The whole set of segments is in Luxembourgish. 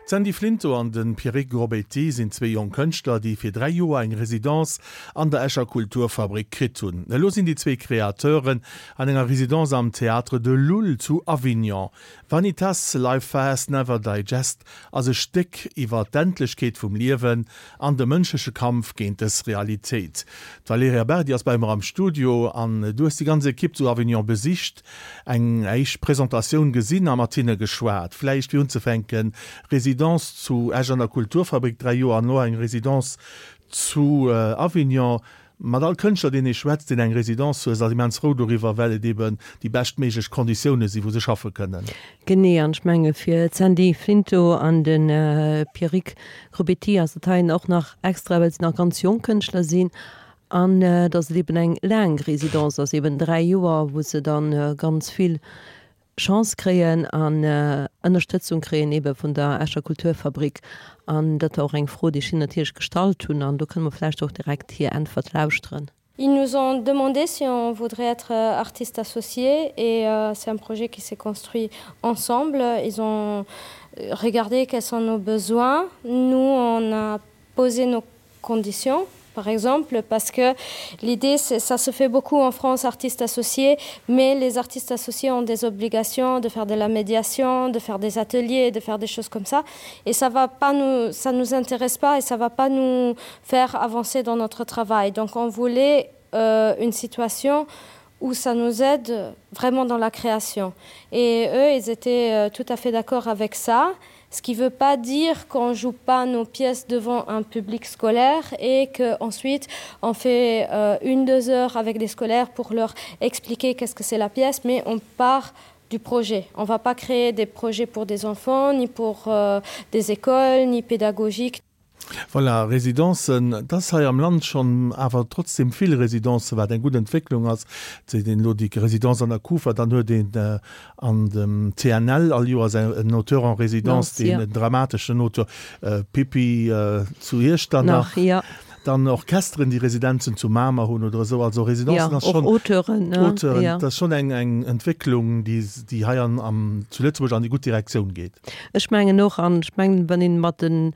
D'Sandy Flinto an de Pierrick Grobéty sinn zwee jonk Kënschtler, déi fir 3 Joer eng Residence an der Escher Kulturfabrik kritt hunn. Elo sinn déi zwee Kreateuren an enger Residence am Théâtre de l'Oule zu Avignon. Vanitas, Life Fast, Never Digest ass e Stéck iwwer d'Endlechkeet vum Liewen an de mënschleche Kampf géint dës Realitéit. D'Valerija Berdi ass bei mer am Studio an du hues déi ganz Ekipp zu Avignon besicht. Eng éischt Presentatioun gesinn a mat hinne geschwat. Vläicht fir unzefänken, Résidence zu Esch an der Kulturfabrik, 3 Joer an elo eng Résidence zu Avignon. Mat all Kënschtler, deen ee schwätzt, deen eng Résidence huet, ass immens frou doriwwer, well et eben déi beschtméiglech Konditioune sinn, wou se schaffe kënnen. Genee, an ech menge fir d'Sandy Flinto an de Pierrick Grobéty ass dat heien och nach extra, well se nach ganz jonk Kënschtler sinn An datt et eben eng laang Résidence ass, eben 3 Joer, wou se dann ganz vill Chance kréien an Ënnerstëtzung kréien ebe vun der Escher Kulturfabrik. An dat war och eng Fro, déi ech hinnen natierlech gestallt hunn. An do kënne mer vläicht och direkt hir Äntwert lauschteren. Ils nous ont demandé si on voudrait être artiste associé et c'est un projet qui s'est construit ensemble. Ils ont regardé quels sont nos besoins. Nous, on a posé nos conditions par exemple parce que l'idée ça se fait beaucoup en France artistes associés mais les artistes associés ont des obligations de faire de la médiation de faire des ateliers de faire des choses comme ça et ça va pas nous ça nous intéresse pas et ça va pas nous faire avancer dans notre travail donc on voulait euh, une situation où ça nous aide vraiment dans la création et eux ils étaient euh, tout à fait d'accord avec ça et ce qui veut pas dire qu'on joue pas nos pièces devant un public scolaire et que ensuite on fait euh, une deux heures avec des scolaires pour leur expliquer qu'est-ce que c'est la pièce mais on part du projet on va pas créer des projets pour des enfants ni pour euh, des écoles ni pédagogiques Voilà, Residencen, et ass hei am Land schonn awer trotzdem vill Residencen, wat eng gutt Entwécklung ass. Et seet een elo déi Residence an der Kufa, dann huet een an dem CNL all Joers en Auteur en résidence, deen en dramateschen Auteur, Pippi zu Iechternach. Dann Orchesteren, déi Residenzen zu Mamer hunn oder esou. Also Residencen ass schonn, Auteuren, Auteuren, dat ass schonn eng eng Entwécklung, déi déi hei an am zu Lëtzebuerg an déi gutt Direktioun geet. Ech mengen och, an ech mengen, wann ee mat de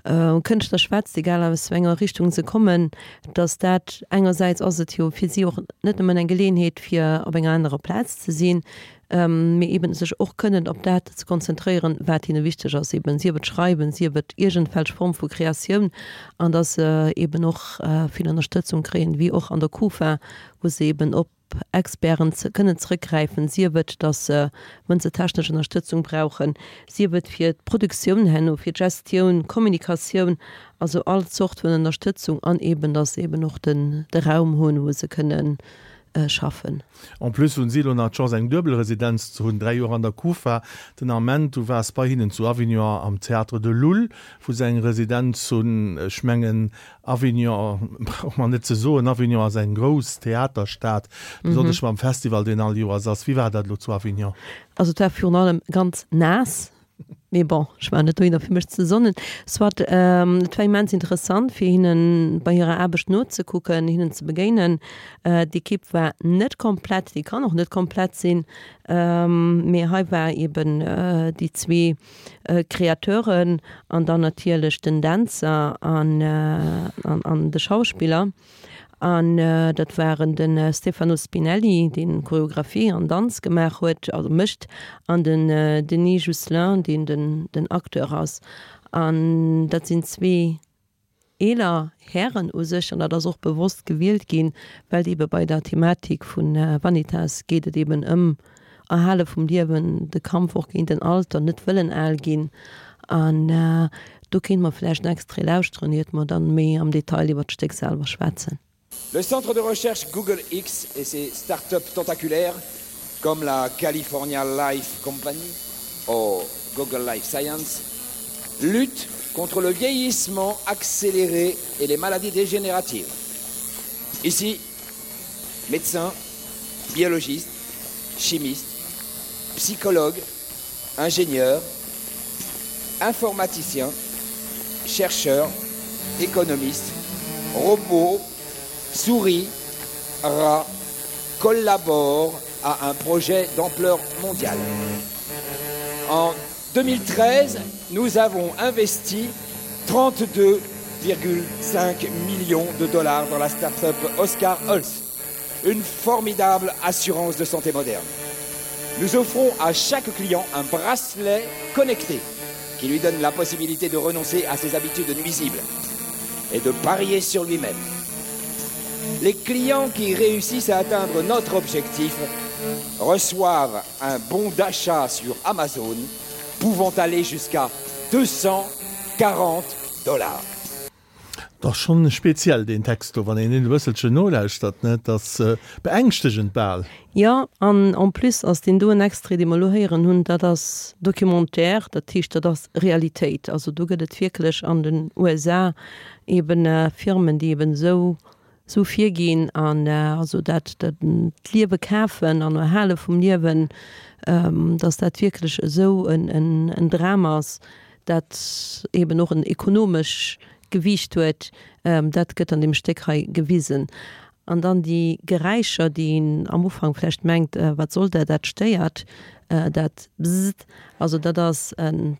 Kënschtler schwätzt, egal aus wéi enger Richtung se kommen, datt dat engersäits ass et jo fir si och net nëmmen eng Geleeënheet fir op enger anerer Plaz ze sinn, mee eben sech och kënnen op dat ze konzentréieren, wat hinne wichteg ass, eben sief et Schreiwen, sief et iergendwelch Form vu Kreatioun, an datt se eben och vill Ënnerstëtzung kréien, wéi och an der Kufa, wou se eben op Experten kënnen zrëckgräifen, sief et, datt se, wa se technesch Ënnerstëtzung brauchen, sief et fir d'Produktioun herno, fir d'Gestioun, d'Kommunikatioun, also all Zort vun Ënnerstëtzung, an eben datt se eben och den de Raum hunn, wou se kënnen schaffen. En plus hunn si elo nach d'Chance eng duebel Residenz ze hunn, 3 Joer an der Kufa den Ament, du waars bei hinnen zu Avignon am Théâtre de l'Oule, wou se eng Residenz hunn. Ech mengen Avignon brauch mer net ze soen, Avignon ass eng grouss Theaterstad, besonnesch mam Festival deen all Joers ass. Wéi war dat elo zu Avignon? Also et war virun allem ganz naass. Mee bon, ech war net dohinner fir mech ze sonnen. Soit, et war immens interessant fir hinnen bei hirer Aarbecht nozekucken, hinnen ze begéinen. D'Ekipp war net komplett, déi kann och net komplett sinn, mee hei war eben déi zwee Kreateuren an dann natierlech den Dänzer an an de Schauspiller. An dat waren de Stefano Spinelli, deen Choreographie an Danz gemaach huet, also mécht, an den Denis Jousselin, deen den Acteur ass. An dat sinn zwee eeler Hären u sech, an dat ass och bewosst gewielt ginn, well et eebe bei der Thematik vu Vanitas geet et eeben ëm Erhale vum Liewen, de Kampf och géint den Alter, net wëllen al ginn. An do kéinte mer vläicht en Extrait lauschteren, iert mer dann méi am Detail iwwer d'Stéck selwer schwätzen. Le centre de recherche Google X et ses start-up tentaculaires, comme la California Life Company ou Google Life Science, luttent contre le vieillissement accéléré et les maladies dégénératives. Ici, médecins, biologistes, chimistes, psychologues, ingénieurs, informaticiens, chercheurs, économistes, robots, souris, rats collaborent à un projet d'ampleur mondiale. En. 2013, nous avons investi 32,5 millions de dollars dans la start-up Oscar Holz, une formidable assurance de santé moderne. Nous offrons à chaque client un bracelet connecté qui lui donne la possibilité de renoncer à ses habitudes nuisibles et de parier sur lui-même. Les clients qui réussissent à atteindre notre objectif reçoivent un bon d'achat sur Amazon pouvant aller jusqu'à 240 dollars. Et ass schonn speziell deen Text do, wann een en e bësselchen nolauschtert, ne? Et ass beängschtegend bal. Jo, an en plus ass deen doen Extrait, dee mer elo héieren hunn, dat ass Documentaire, dat heescht, dat ass Realitéit. Also do gëtt et wierklech an den USA eben Firmen, déi eben esou esou virginn an also dat d'Liewe kafen an Erhale vum Liewen, datt dat wierklech esou en Dram ass, dat eben och en ekonomesch Gewiicht huet, dat gëtt an deem Stéck hei gewisen. An dann déi Geräischer, déi een am Ufank vläicht mengt, wat soll dat, dat stéiert, dat Bzzzt, also dat ass en.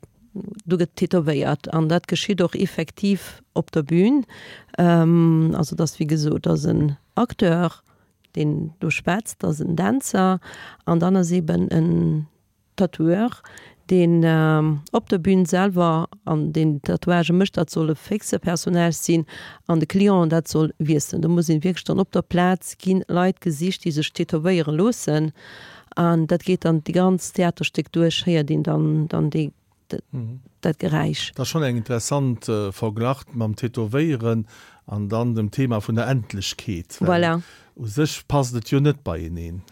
Do gëtt tätowéiert an dat geschitt och effektiv op der Bühn. Also et ass wéi gesot, et ass en Acteur, deen do schwätzt, et ass en Dänzer an dann ass eeben en Tatoueur, deen op der Bühn selwer an deen Tatouagë mécht. Dat soll e fixe Personnage sinn an de Client, dat soll wiesselen. Do muss een wierklech dann op der Plaz gi Leit gesicht, déi sech tätowéiere loossen. An dat geet dann déi ganz Theaterstéck duerch, héiert een dann dann déi dat Geräisch. Dat ass schonn eng interessant Verglach mam Tätowéieren an dann dem Thema vun der Endlechkeet, well Voilà. u sech passt et jo net beieneen.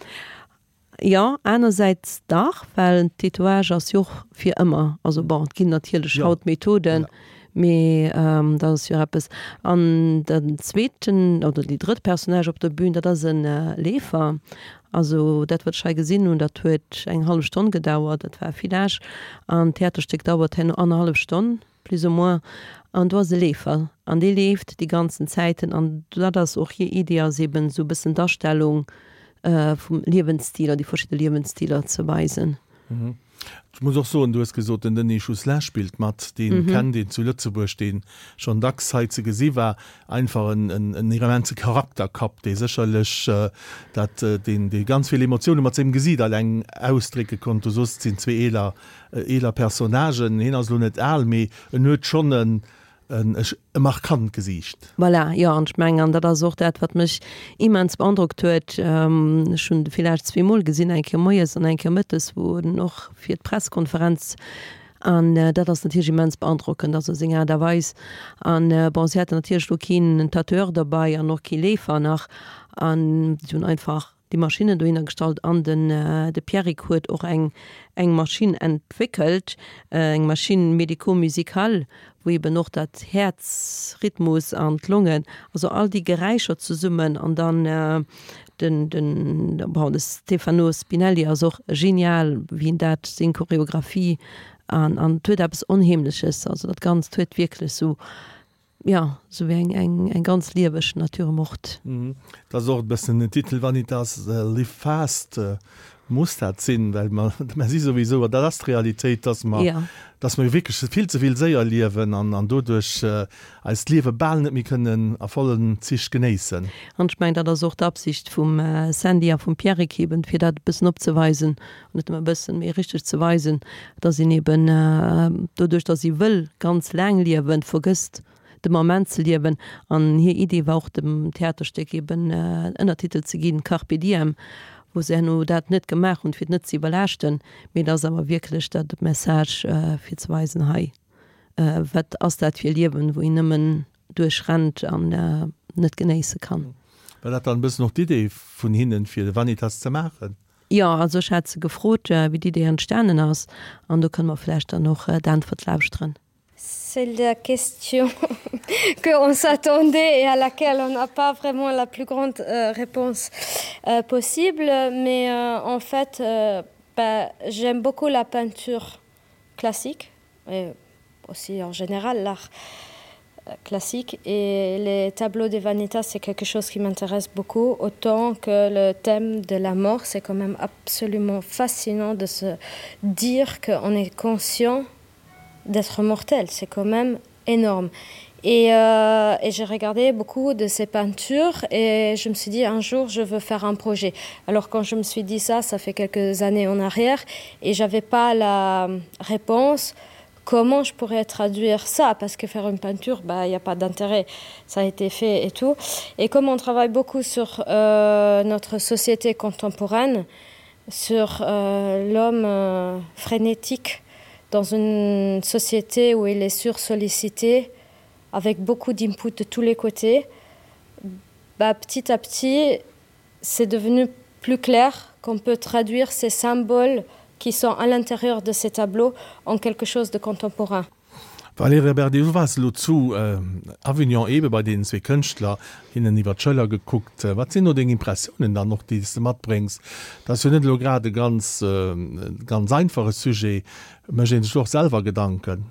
Jo, anersäits dach, well Tatouage ass jo och fir ëmmer. Also bon, et ginn natierlech haut Methoden, Mee dat ass jo eppes. An den zweeten oder déi drëtt Personnage op der Bühn, dat ass e Leefer. Also dat, wat ech hei gesinn hunn, dat huet eng hallef Stonn gedauert. Dat war Village. An d'Theaterstéck dauert herno annerhallef Stonn, plus ou moins. An do ass e Leefer an dee leeft déi ganzen Zäiten. An dat ass och hir Idee, ass eben esou e bëssen d'Astellung vum Liewensstil an déi verschidde Liewensstiler ze weisen. Ech muss och soen, du hues gesot, den Denis Jousselin spillt mat, dee kennt een zu Lëtzebuerg, dee schonn dacks hei ze gesi war. Einfach en immense Charakterkapp, dee sécherlech dat, deen, dee ganz vill Emotioune mat sengem Gesiit alleng ausdrécke konnt. Du soos, et sinn zwee eeler, eeler Personnagen. Hien ass elo net al, mee en huet schonn en, E markant Gesiicht. Voilà, jo, an ech mengen, an dat ass och dat, wat mech immens beandrockt huet, ech hunn de Village zweemol gesinn, eng Kéier moies an eng Kéier mëttes, wou en och fir d'Presskonferenz, an dat ass natierlech immens beandrockend, also seng Aart a Weis. An bon, si haten natierlech do keen Tatoueur derbei an och kee Leefer nach, an si hunn einfach déi Maschinnen dohinner gestallt an den de Pierrick huet och eng eng Maschinn entwéckelt, eng Machine médico-musicale, wou eben och dat Häerzrhythmus an d'Longen, also all déi Geräischer zesummen an dann den den bon de Stefano Spinelli ass och genial wéi en dat seng Choreographie an an et huet eppes Onheemleches, also dat Ganzt huet wierklech sou Jo, sou wéi eng, eng, eng ganz lieweg Nature morte. Dat ass och e bëssen den Titel Vanitas Live Fast muss dat sinn, well mer, mer si souwisou, an dat ass d'Realitéit, dass mer, dass mer jo wierklech vill ze vill séier liewen an, an doduerch eist Liewe bal net méi kënnen a vollen Zich genéissen. An ech mengen, dat ass och d'Absicht vum Sandy a vum Pierrick eben, fir dat e bëssen opzeweisen, net nëmme e bëssen, mee richteg ze weisen, dass een eben doduerch, dass ee wëll ganz laang liewen, vergësst de Moment ze liewen. An hir Idee war och dem Theaterstéck eben en Ënnertitel ze ginn, Carpe diem, wou se herno dat net gemaach hunn, fir et net ze iwwerlaaschten, mee et ass awer wierklech dat Message fir ze weisen, hei, wat ass dat fir e Liewen, wou een nëmmen duerch rennt an net genéisse kann. War dat dann e bëssen och d'Idee vun hinnen, fir de Vanitas ze maachen? Jo, also ech hat se gefrot, wéi d'Idee entstanen ass, an do kënne mer vläicht dann och d'Äntwert lauschteren. C'est la question qu'on s'attendait et à laquelle on n'a pas vraiment la plus grande euh, réponse euh, possible mais euh, en fait euh, bah, j'aime beaucoup la peinture classique et aussi en général l'art. classique et les tableaux des vanitas c'est quelque chose qui m'intéresse beaucoup autant que le thème de la mort c'est quand même absolument fascinant de se dire qu'on est conscient d'être mortel c'est quand même énorme et, euh, et j'ai regardé beaucoup de ces peintures et je me suis dit un jour je veux faire un projet alors quand je me suis dit ça ça fait quelques années en arrière et j'avais pas la réponse comment je pourrais traduire ça parce que faire une peinture bah il n'y a pas d'intérêt ça a été fait et tout et comme on travaille beaucoup sur euh, notre société contemporaine sur euh, l'homme euh, frénétique dans une société où il est sursollicité avec beaucoup d'input de tous les côtés bah, petit à petit c'est devenu plus clair qu'on peut traduire ces symboles qui sont à l'intérieur de ces tableaux en quelque chose de contemporain. Valerija Berdi, du waars elo zu Avignon eebe bei deenen zwee Kënschtler, hinnen iwwer d'Schëller gekuckt. Wat sinn do deng Impressiounen dann och, déi s de matbréngs? Dat ass jo net elo grad e ganz, ganz einfache Sujet. Mécht ee sech do och selwer Gedanken?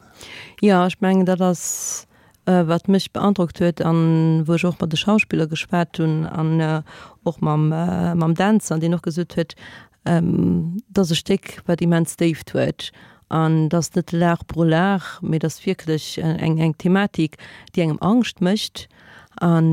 Jo, ech mengen, dat ass wat mech beandrockt huet an wou ech och mat de Schauspiller geschwat hunn an och mam, mam Dänzer, deen och gesot huet, Et ass e Stéck, wat immens Déift huet. An et ass net l'art pour l'art, mee et ass wierklech eng, eng Thematik, déi engem Angscht mécht. An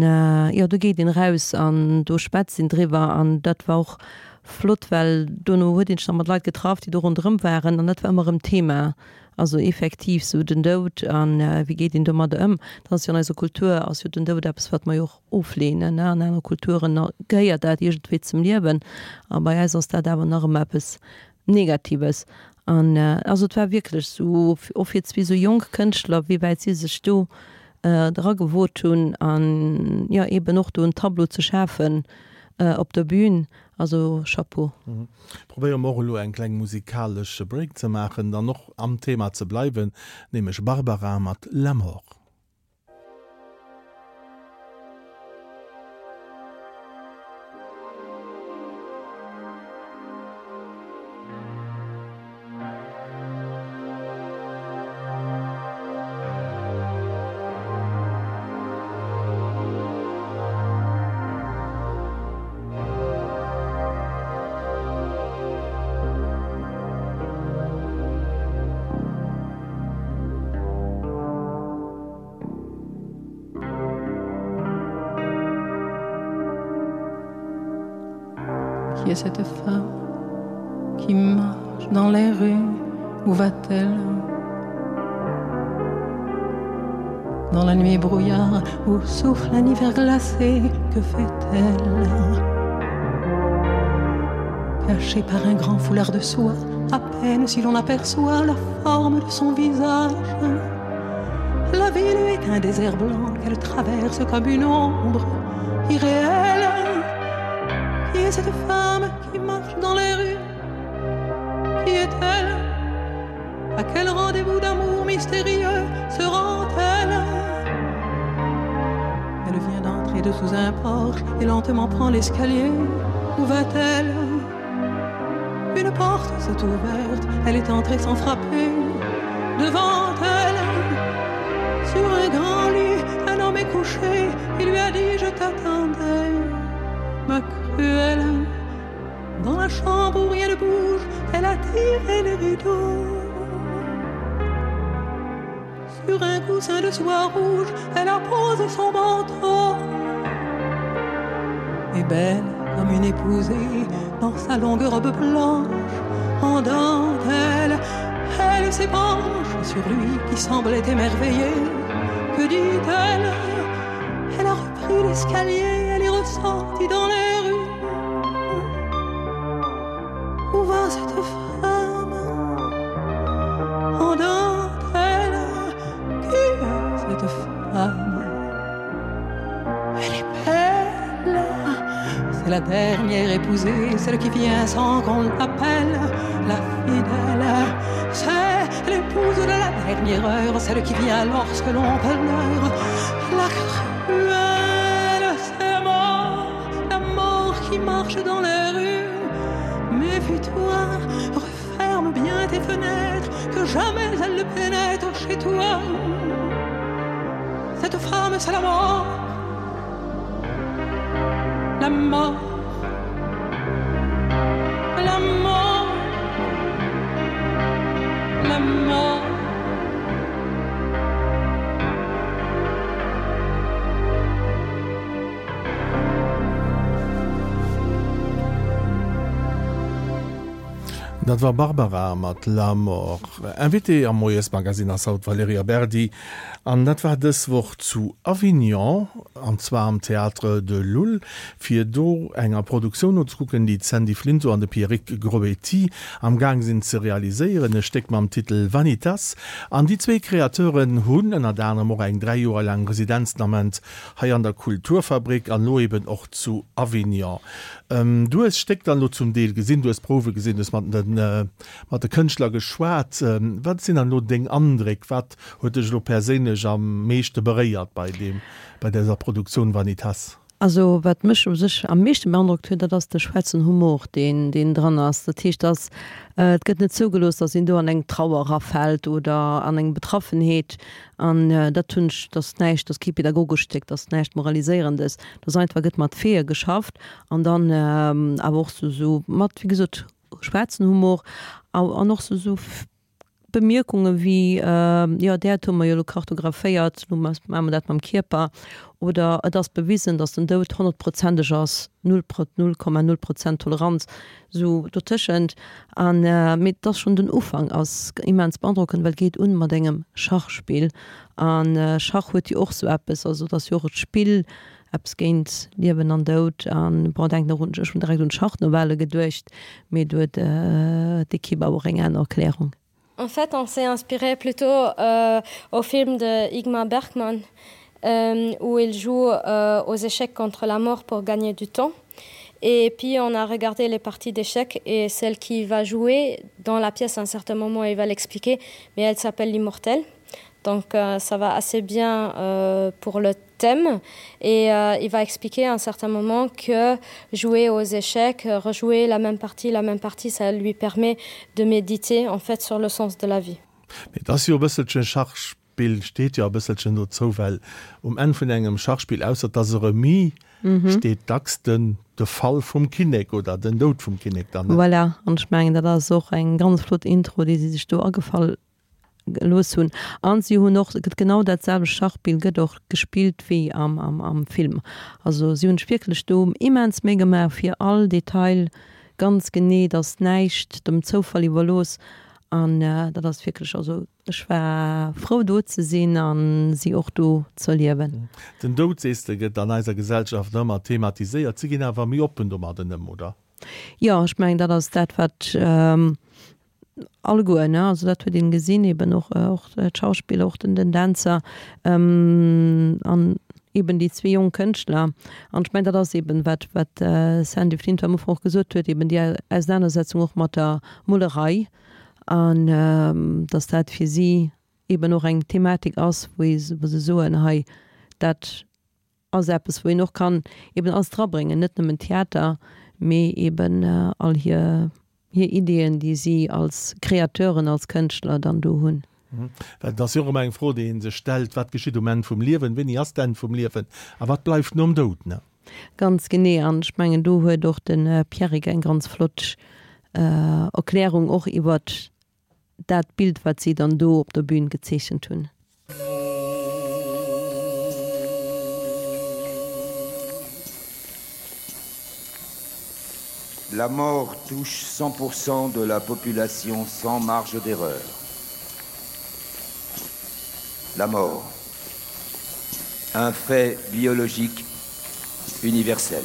jo, do geet een eraus an do schwätzt een driwwer. An dat war och flott, well dono huet een sech da mat Leit getraff, déi do ronderëm waren. An dat war ëmmer erëm Thema. Also effektiv sou den Doud a wéi geet een domadder ëm. Dat ass jo an eiser Kultur ass jo den Doud eppes, wat mer jo och ofleenen. An anere Kulturen gehéiert dat iergendwéi zum Liewen a bei eis ass dat awer nach ëmmer eppes Negatives. An also et war wierklech sou, och fir zwee sou jonk Kënschtler, wéi wäit si sech do dra gewot hunn an jo eben och do en Tableau ze schafen op der Bühn. Also Chapeau. Probéiere mer och elo eng kleng musikalesch Break ze maachen, dann och am Thema ze bleiwen, nämlech Barbara mat La Mort. Qui est cette femme qui marche dans les rues Où va-t-elle Dans la nuit brouillard où souffle un hiver glacé, que fait-elle Cachée par un grand foulard de soie, à peine si l'on aperçoit la forme de son visage. La ville est un désert blanc qu'elle traverse comme une ombre irréelle. Qui est cette femme qui marche dans les rues Qui est-elle À quel rendez-vous d'amour mystérieux se rend-elle Elle vient d'entrer dessous un porche et lentement prend l'escalier. Où va-t-elle Une porte s'est ouverte, elle est entrée sans frapper. Devant elle, sur un grand lit, un homme est couché. Il lui a dit je t'attendais, ma cruelle. Dans la chambre où rien ne bouge, elle a tiré les rideaux. Sur un coussin de soie rouge, elle a posé son manteau. Et belle comme une épousée dans sa longue robe blanche, en dentelle, elle s'épanche sur lui qui semblait émerveillé. Que dit-elle Elle a repris l'escalier, elle est ressortie dans les rues. Où va cette femme En dentelle Qui est cette femme Elle est belle C'est la dernière épousée Celle qui vient sans qu'on l'appelle La fidèle C'est l'épouse de la dernière heure Celle qui vient lorsque l'on pleure La cruelle C'est mort La mort qui marche dans les rues Méfie-toi, referme bien tes fenêtres, que jamais elle ne pénètre chez toi. Cette. Cette femme, c'est la mort. La mort. La mort. La mort. Dat war Barbara mat La Mort. Invitée am Moiesmagazin ass haut d'Valerija Berdi an dat war dës Woch zu Avignon, an zwar am Théâtre de l'Oule, fir do enger Produktioun nozekucken, déi d'Sandy Flinto an de Pierrick Grobetti am Gaang sinn ze realiséieren, e Stéck mam Titel Vanitas. An déi zwee Kreateuren hunn ënnert anerem och eng 3 Joer laang Residenz den Ament hei an der Kulturfabrik an elo eben och zu Avignon. Du hues d'Stéck dann elo zum Deel gesinn, du hues d'Prouwe gesinn, du hues mat de mat de Kënschtler geschwat. Wat sinn dann elo deng Andréck? Wat huet dech elo perséinlech am meeschte beréiert bei deem, bei dëser Produktioun Vanitas? Also wat mech u sech am meeschte beandrockt huet, dat ass de schwaarzen Humor, deen deen dran ass. Dat heescht, dass et gëtt net zougelooss, dass een do an eng Trauer erafält oder an eng Betraffenheet. An dat hunn ech, dat ass näischt, dat ass kee pedagogescht Stéck, dat ass näischt Moraliséierendes, dat ass einfach, gëtt mat Feeë geschafft an dann awer och sou sou mat, wéi gesot, schwaarzen Humor an och sou Bemierkunge wéi, jo d'Äerd hu mer jo elo kartographéiert, elo maache mer dat mam Kierper, oder et ass bewisen, datt den Doud honnertprozenteg ass, null 0,0 Prozent Toleranz, sou dotëschent. An mee et ass schonn den Ufank ass immens beandrockend, well et geet un mat engem Schachspill an Schach huet jo och sou eppes, also et ass jo och e Spill, Eppes géint Liewen an Doud an bon, denken och un, ech hunn direkt un d'Schachnovelle geduecht, mee do huet d'Equipe awer och eng aner Erklärung. En fait, on s'est inspiré plutôt euh, au film de Igmar Bergman, euh, où il joue euh, aux échecs contre la mort pour gagner du temps. Et puis on a regardé les parties d'échecs et celle qui va jouer dans la pièce à un certain moment il va l'expliquer, mais elle s'appelle l'immortel. Donc euh, ça va assez bien euh, pour le thème et euh, il va expliquer à un certain moment que jouer aux échecs, rejouer la même partie, la même partie, ça lui permet de méditer en fait sur le sens de la vie. Mee et ass jo e bësselchen, Schachspill steet jo e bësselchen dozou, well um Enn vun engem Schachspill, ausser et ass e Remis, steet dacks den de Fall vum Kinnek oder den Doud vum Kinnek dann. Voilà, an ech mengen dat ass och eng ganz flott Intro, déi si sech do agefall gelooss hunn an si hunn och genau dat selwecht Schachspill gëtt och gespillt wéi am am am Film. Also si hunn sech wierklech do immens Méi gemaach fir all Detail ganz genee, dass näischt dem Zoufall iwwerlooss an dat ass wierklech, also ech war frou do ze sinn an si och do z'erliewen. Den Doud, sees de, gëtt an eiser Gesellschaft nach ëmmer thematiséiert. Si ginn awer méi oppen domadden ëm, oder? Jo, ech mengen dat ass dat wat Alleguer, ne? Also dat huet een gesinn, eben och och d'Schauspiller, och den den Dänzer an eben déi zwee jonk Kënschtler. An ech mengen, dat ass eben wat wat d'Sandy Flinter am Ufank och gesot huet, eben déi Ausenanersetzung och mat der Molerei an datt dat fir si eben och eng Thematik ass, wou ee wou se soen, hei dat ass eppes, wou een och kann eben alles drabréngen, net nëmmen Theater, mee eben all hir hir Ideeën, déi si als Kreateuren, als Kënschtler dann do hunn. Well et ass jo och ëmmer eng Fro, déi ee sech stellt, Wat geschitt um Enn vum Liewen? Wéini ass d'Enn vum Liewen? A wat bleift nom Doud? Ne? Ganz genee. An ech mengen, do huet och de Pierrick eng ganz flott Erklärung och iwwert dat Bild, wat si dann do op der Bühn gezeechent hunn. La mort touche 100% de la population sans marge d'erreur. La mort. Un fait biologique universel.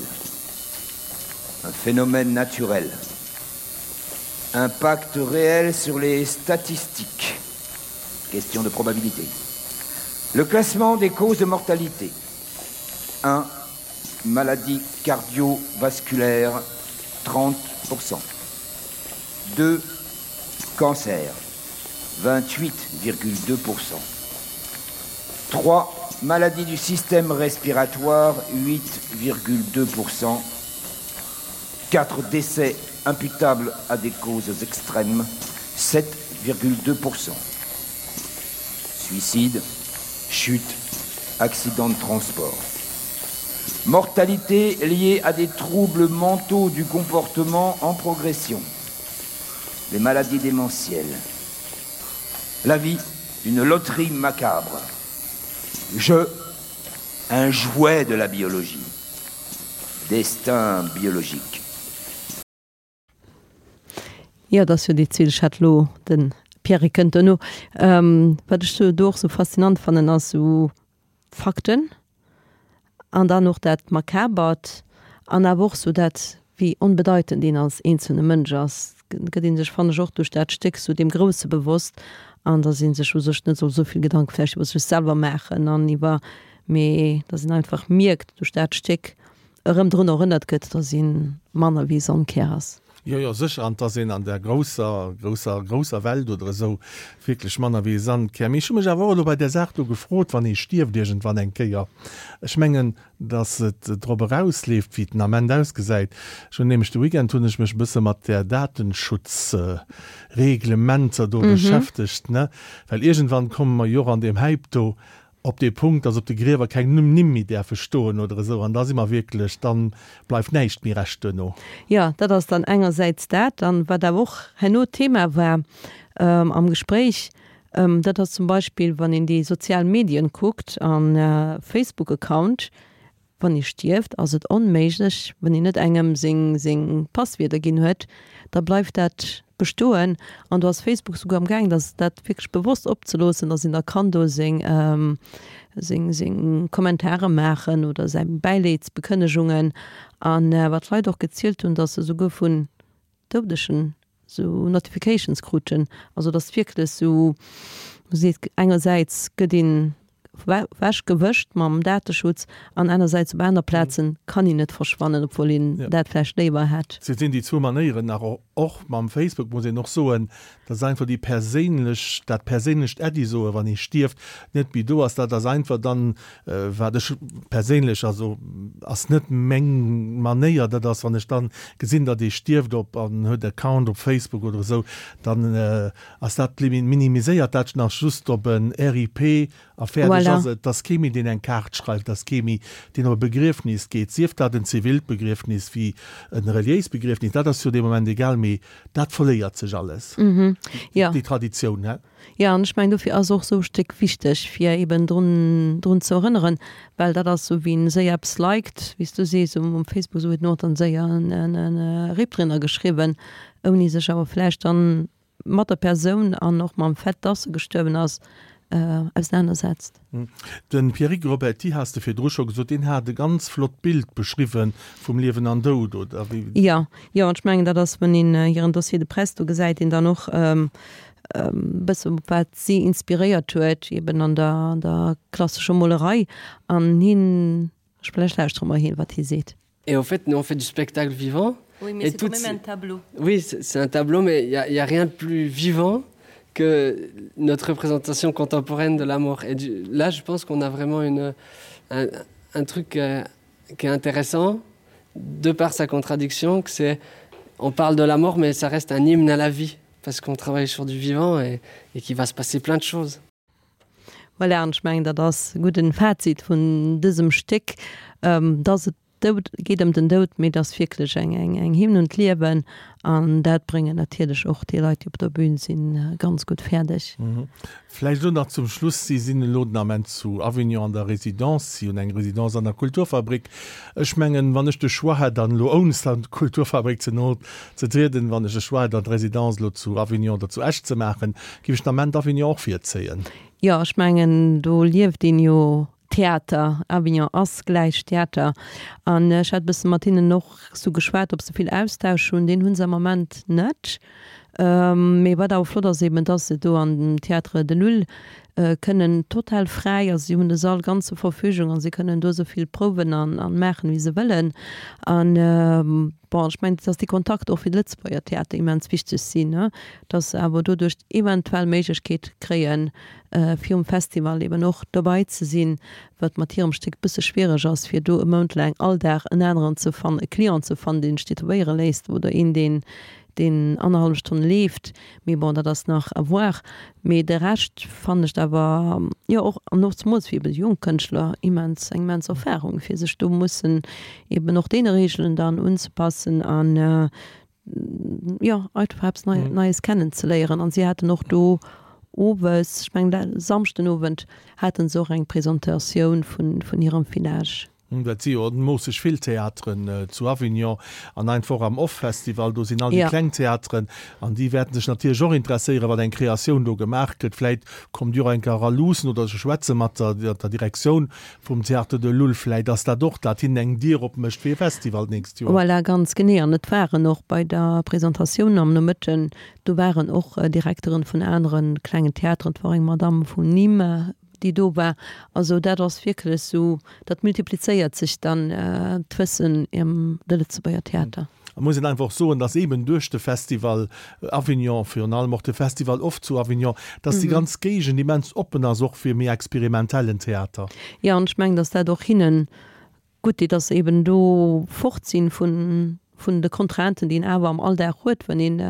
Un phénomène naturel. Impact réel sur les statistiques. Question de probabilité. Le classement des causes de mortalité. 1. Maladie cardiovasculaire 30%. 2. Cancer 28,2%. 3. Maladie du système respiratoire 8,2%. 4 décès imputables à des causes extrêmes 7,2%. Suicide, chute, Accident de transport. Mortalité liée à des troubles mentaux du comportement en progression. Les maladies démentielles. La vie, une loterie macabre. Je, un jouet de la biologie. Destin biologique. Jo, et ass jo déi zweet, ech hat elo de Pierrick kënnt duerno. Wat ech sou do och sou faszinant fannen, ass sou Fakten an dann och dat Makabert an awer och sou dat, wéi onbedeitend een als eenzelne Mënsch ass, gëtt ee sech, fannen ech, och duerch dat Stéck sou deem Grousse bewosst an datt ee sech u sech net soll sou vill Gedanke vläicht iwwer sech selwer maachen an iwwer, mee datt een einfach mierkt duerch dat Stéck, erëm drun erënnert gëtt, dass ee manner wéi Sandkär ass. Jo, jo, sécher, an dass een an där grousser, grousser, grousser Welt oder esou wierklech manner wéi e Sandkär. Mee ech hu mech awer och elo bei där Saach do gefrot, wann ee stierft iergendwann eng Kéier, ech mengen, dass et drop erausleeft, wéi et den Ament ausgesäit. Ech hunn nämlech de Weekend hunn ech mech e bësse mat där Datenschutzreglementer do beschäftegt, ne, well iergendwann komme mer jo och an deem Häip do op dee Punkt, dass op de Griewer keng Nimm méi däerfe stoen oder esou, an da si mer wierklech, da bleift näischt méi Rescht duerno. Jo, dat ass dann engersäits dat. An wat awer och herno Thema war am Gespréich, dat ass zum Beispill, wann een déi sozial Medien kuckt a Facebook-Account, Wann ee stierft, ass et onméiglech, wann een net engem seng seng Passwierder ginn huet, da bleift dat bestoen. An do ass Facebook souguer am gaang, dass dat wierklech bewosst opzeloossen, dass een da kann do seng seng seng Kommentare maachen oder säi Bäileedsbekënnegungen. An wat d'Leit och gezielt hunn, dass se souguer vun Doudegen sou Notifications kruten, also dass wierklech sou seet, engersäits gëtt een wech gewëscht mam Dateschutz an anersäits op aner Plazen kann een net verschwannen, obwuel een dat vläicht léiwer hätt. Et sinn déi zwou Manéieren nach. Och mam Facebook muss een och soen, dass einfach déi perséinlech, dat perséinlecht Äddi soen, wann ee stierft, net méi do ass. Dat ass einfach dann, wat ech perséinlech, also ass net meng Manéier, dat ass, wann ech dann gesinn, datt ee stierft op an huet Account op Facebook oder esou, dann ass dat minimiséiert dat nach just op en RIP a fäerdeg ass et. Et ass kee méi, deen eng Kaart schreift, et ass kee méi, deen op e Begriefnis geet, sief dat en zivilt Begriefnis wéi e reliéist Begriefnis, dat ass jo dee Moment egal, mee dat verléiert sech alles, déi Traditioun, he? Jo, an ech mengen, dofir ass och esou e Stéck wichteg, fir eben drun, drun ze erënneren, well dat ass esou, wien séier eppes liked, wéi s du sees, um, um Facebook, esou huet en och dann séier en, en, en RIP drinner geschriwwen, ouni sech awer vläicht dann mat der Persoun an och mam Fait, dass se gestuerwen ass, ausenanersetzt. De Pierrick Roberty, has de virdru scho gesot, deen hat e ganz flott Bild beschriwwe vum Liewen an Doud, oder wéi? Jo, jo, an ech mengen, dat ass, wann een hiren Dossier de presse do gesäit, een dann och e bësse wat si inspiréiert huet, eben an der, an der klassescher Molerei. An hien, vläicht lauschtere mer hien, wat hie seet. Et en fait, nous on fait du spectacle vivant. Oui, mais c'est quand même un tableau. Oui, c'est un tableau, mais il n'y a, y a rien de plus vivant que notre représentation contemporaine de la mort. Et du, là, je pense qu'on a vraiment une, un, un truc euh, qui est intéressant, de par sa contradiction, que c'est on parle de la mort, mais ça reste un hymne à la vie, parce qu'on travaille sur du vivant et, et qu'il va se passer plein de choses. Voilà, an ech mengen, dat ass e gudden Fazit vun dësem Stéck, dass et Doud geet ëm den Doud, mee et ass wierklech eng eng Hymn un d'Liewen an dat bréngen natierlech och déi Leit, déi op der Bühn sinn, ganz gutt fäerdeg. Vläicht elo nach zum Schluss, Si sinn elo den Ament zu Avignon an der Résidence, si hunn eng Résidence an der Kulturfabrik. Ech mengen, wann ech de Choix hätt, an elo ounst an d'Kulturfabrik ze no ze trieden, wann ech de Choix hätt, an d'Résidence elo zu Avignon oder zu Esch ze maachen, géif ech den Ament Avignon och virzéien. Jo, ech mengen, do lieft een jo Theater. Avignon ass gläich Theater. An ech hat e bësse mat hinnen och sou geschwat, ob se vill Austausch hunn. Deen hu se am Ament net. Mee wat awer flott ass eben, dass se do an dem Théâtre de Lull kënnen total fräi, also si hunn de Sall ganz zur Verfügung a si kënnen do esou vill prouwen an maachen, wéi se wëllen. An bon, ech mengen, dass déi Kontakter och fir de Lëtzebuerger Theater immens wichteg sinn, dass se awer doduerch eventuell Méiglechkeet kréien, fir um Festival eben och dobei ze sinn, wat mat hirem Stéck bësse schwiereg ass, fir do e Mount laang all Dag en aneren ze fannen, e Client ze fannen, deen sech tätowéiere léisst oder een, deen. Deen annerhallef Stonn leeft, mee bon, dat ass nach à voir. Mee de Rescht fannen ech awer, jo och, an och zemools fir eben jonk Kënschtler immens, eng immens Erfahrung, fir sech do mussen eben och deene Reegelen dann unzepassen an, jo, einfach eppes Neies kennenzeléieren. An si haten och do owes, ech mengen Samschden Owend, hate se och eng Presentatioun vun hirem Village. Dat si jo moosseg vill Theateren zu Avignon an einfach och am Off-Festival. Do sinn all déi kleng Theateren an déi wäerten sech natierlech och interesséieren, wat eng Kreatioun do gemaach gëtt. Vläit kommt Dir och eng Kéier era luussen oder se schwätze mat der Direktioun vum Théâtre de Lull. Vläit ass dat och, dat hinnen eng Dier opmécht fir e Festival d'nächst Joer. Voilà, ganz genee. An et waren och bei der Presentatioun am Nomëtten, do waren och Direkteren vun anere klengen Theateren, et war och eng Madamm vun Nîmes, déi do war. Also dat ass wierklech esou, dat multiplizéiert sech dann d'Wëssen ëm de Lëtzebuerger Theater. Et muss een einfach och soen, dass eeben duerch de Festival Avignon, virun allem och de Festival Off zu Avignon, dass déi ganz Géigend immens oppen ass och fir méi experimentellen Theater. Jo, an ech mengen, dass dat och hinnen Gutt deet, dass se eben do fort sinn vun vun de Contrainten, déi een awer am Alldag huet, wann een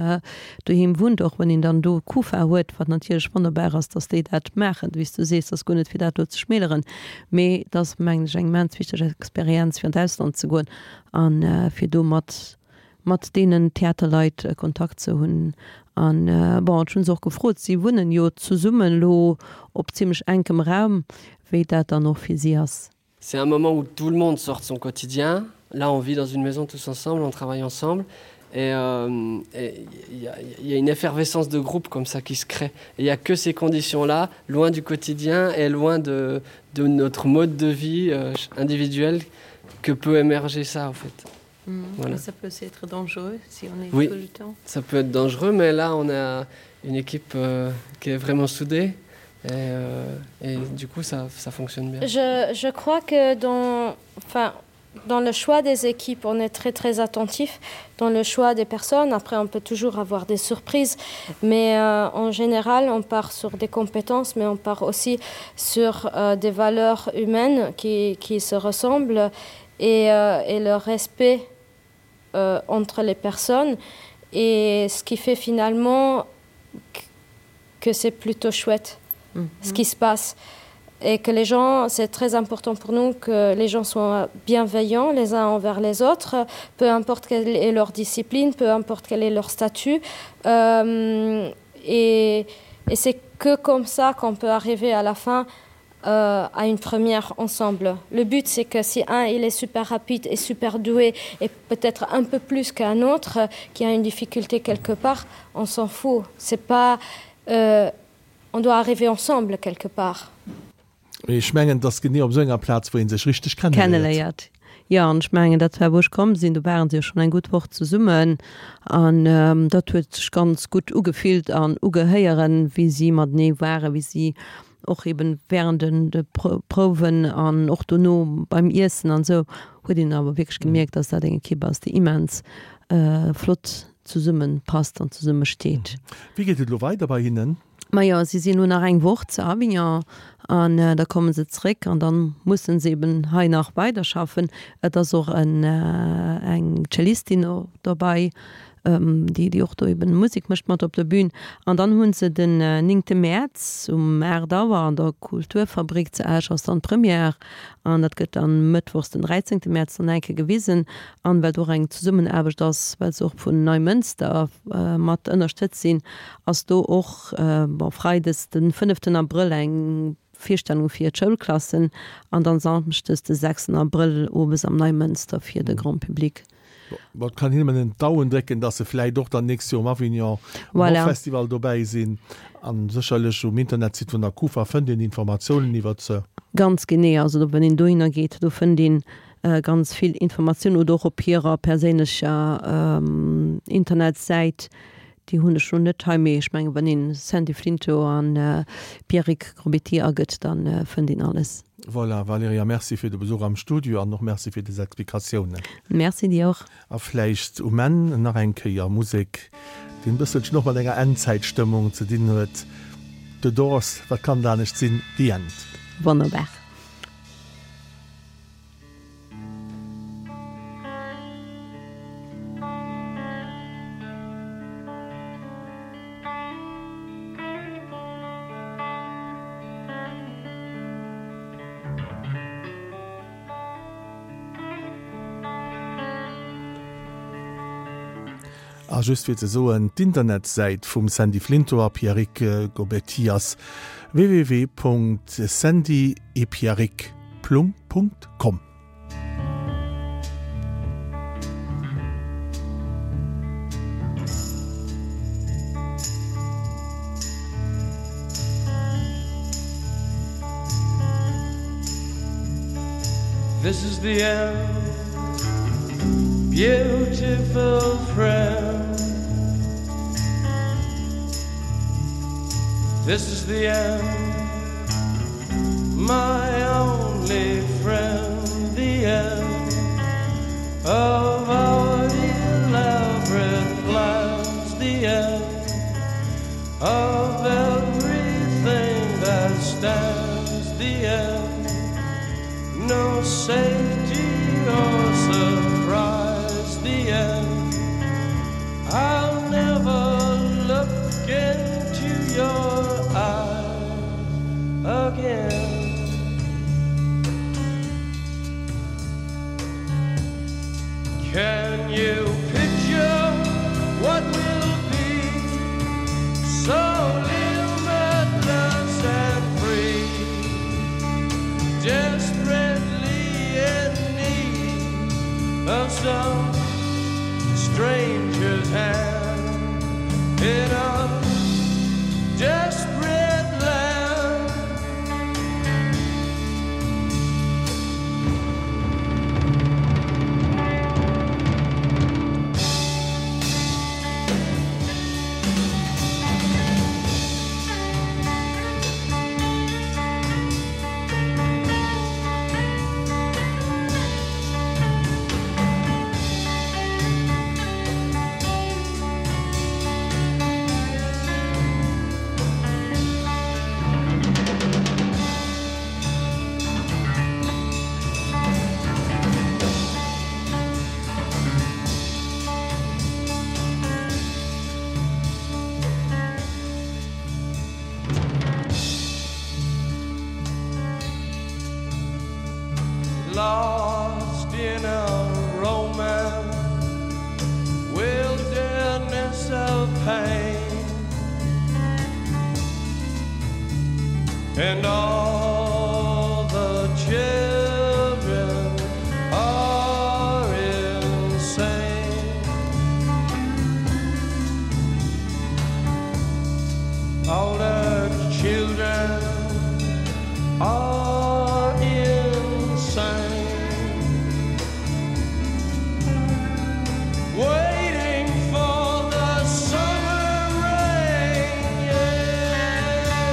doheem wunnt, och wann een dann do Kufa huet, wat natierlech wonnerbar ass, dass déi dat maachen. Wéi s du sees, ass guer net fir dat do ze schmäleren, mee et ass, mengen ech, eng immens wichteg Experienz fir an d'Ausland ze goen a fir do mat mat deenen Theaterleit Kontakt ze hunn. An bon, ech hu se och gefrot, si wunnen jo zesummen elo op zimlech enkem Raum, wéi dat dann och fir si ass. C'est un moment où tout le monde sort de son quotidien. Là, on vit dans une maison tous ensemble, on travaille ensemble et euh, il y, a, y a une effervescence de groupe comme ça qui se crée. Il n'y a que ces conditions-là, loin du quotidien et loin de, de notre mode de vie euh, individuel que peut émerger ça en fait. Mmh, voilà. Ça peut aussi être dangereux si on est oui, tout le temps. Ça peut être dangereux, mais là on a une équipe euh, qui est vraiment soudée et, euh, et du coup ça, ça fonctionne bien. Je, je crois que dans enfin, dans le choix des équipes, on est très très attentif dans le choix des personnes. Après on peut toujours avoir des surprises, mais euh, en général on part sur des compétences, mais on part aussi sur euh, des valeurs humaines qui, qui se ressemblent et, euh, et le respect euh, entre les personnes et ce qui fait finalement que c'est plutôt chouette mm -hmm. ce qui se passe et que les gens c'est très important pour nous que les gens soient bienveillants les uns envers les autres peu importe quelle est leur discipline peu importe quel est leur statut euh, et, et c'est que comme ça qu'on peut arriver à la fin euh, à une première ensemble. Le but c'est que si un il est super rapide et super doué et peut-être un peu plus qu'un autre qui a une difficulté quelque part, on s'en fout. C'est pas euh, on doit arriver ensemble quelque part. Ech mengen, et ass genee op esou enger Plaz, wou ee sech richteg kenneléiert. Kenneléiert, jo. An ech mengen, dat war, wou ech komm sinn, do ware se jo schonn eng gutt Woch zesummen. An dat huet sech ganz gutt ugefillt an ugehéieren, wéi si matenee waren, wéi si och eben während den de Prouwen an och dono beim Iessen an esou huet een awer wierklech gemierkt, dass dat eng Ekipp ass, déi immens flott zesumme passt an zesumme steet. Wéi geet et elo weider bei hinnen? Majo, si sinn elo nach eng Woch zu Avignon an da komme se zréck an dann musse se eben hei nach weiderschaffen. Et ass och eng Cellistin dobei, déi déi och do eben Musek mécht mat op der Bühn. An dann hu se den néngte Mäerz um 8 Auer an der Kulturfabrik zu Esch ass dann d'Première an dat gëtt dann mëttwochs den dräizéngte Mäerz dann eng Kéier gewisen. An well do och eng Zesummenaarbecht ass, well se och vun Neimënster mat ënnerstëtzt sinn, ass do och, bon, freides den fënneften Abrëll eng Virstellung fir d'Schoulklassen an dann samschdes de sechsten Abrëll owes am Neimënster fir de Grand Public. Bon, et kann een nëmmen d'Auen drécken, dass se vläit och dann d'nächst Joer um Avignon um Voilà. Festival dobäi sinn. An sécherlech um Internetsite vun der Kufa fënnt een Informatiounen iwwert se. Ganz genee, also do wann een dohinner geet, do fënnt een ganz vill Informatiounen oder och op hirer perséinlecher Internetsäit. Déi hunn ech lo net hei, mee ech mengen, wann een Sandy Flinto an Pierrick Grobéty agëtt, dann fënnt een alles. Voilà, Valerija, Merci fir de Besuch am Studio an och Merci fir des Explikatiounen. Merci dir och. A vläicht um Enn nach eng Kéier Musek, déi en bësselchen och mat enger Endzäitstëmmung ze dinn huet, The Doors, wat kann et anescht sinn, The End. Wonnerbar. A just fir ze soen, d'Internetsäit vum Sandy Flinto a Pierrick Gobetti ass www.sandyetpierrick.com. This is the end beautiful friend This is the end my only friend the end of our elaborate plans the end of everything that stands the end no safety or surprise the end I'll never look into your eyes again. Can you picture what will be so limitless and free desperately in need of some stranger's hand in a desperate land? Lost in a romance wilderness of pain and all the children are insane all the children are insane waiting for the summer rain yeah.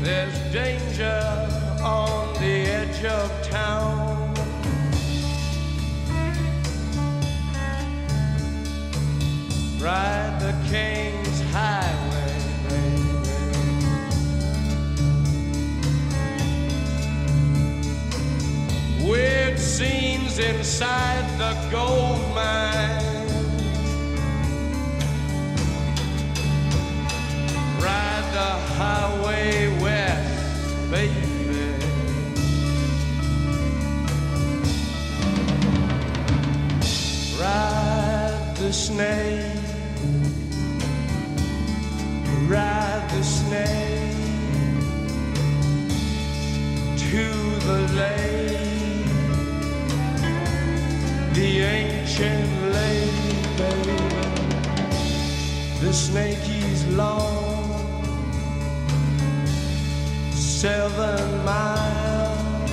There's danger on the edge of town. Ride the King's Highway, baby. Weird scenes inside the gold mine. Ride the highway west, baby. Ride the snake, ride the snake to the lake, the ancient lake, baby. The snake is long, seven miles.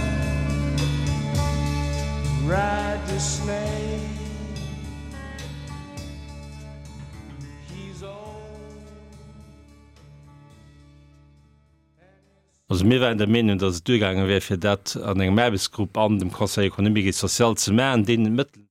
Ride the snake. He's old. Also mir waren der Meenung, datt et duergaange wär, fir dat an engem Aarbechtsgrupp an dem Conseil économique et social ze maachen, deen d'Mëttel,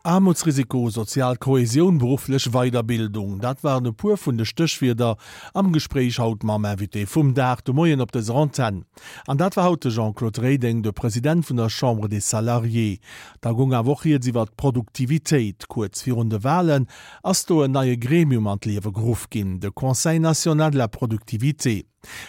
Aarmutsrisiko, sozial Kohäsioun, berufflech Weiderbildung, dat waren e puer vun de Stéchwierder am Gespréich haut mam Invité vum Dag de Moien op dëser Antenn. An dat war haut de Jean-Claude Reding, de President vun der Chambre des Salariés. Da goung awer och rieds iwwert d'Produktivitéit. Kuerz virun de Walen ass do en neie Gremium an d'Liewe geruff ginn, de Conseil national de la productivité.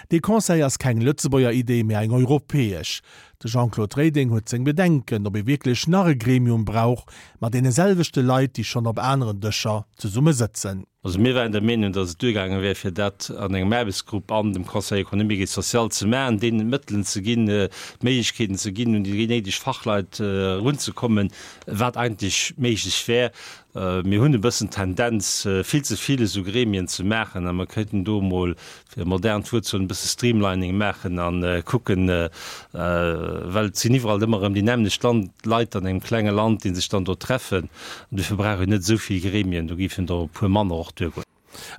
Dee Conseil ass keng Lëtzebuerger Idee, mä eng europäesch. De Jean-Claude Reding huet seng Bedenken, ob ee wierklech nach e Gremium brauch, mat deene selwechte Leit, déi schonn op aneren Dëscher zesumme sëtzen. Also mir waren der Meenung, datt et duergaange wär, fir dat an engem Aarbechtsgrupp an dem Conseil économique et social ze maachen, deenen d'Mëttelen ze ginn, d'Méiglechkeeten ze ginn, un déi néideg Fachleit erunzekommen, wat eigentlech méiglech wär. Mir hunn e bëssen d'Tendenz, vill ze vill esou Gremien ze maachen a mer kéinten do emol, fir e modernt Wuert ze huelen, e bësse Streamlining maachen a kucken, well et sinn iwwerall ëmmer erëm déi nämmlecht Leit an engem klenge Land, déi sech dann do treffen. An dofir brauch een net esou vill Gremien, do géifen der e puer manner och duergoen.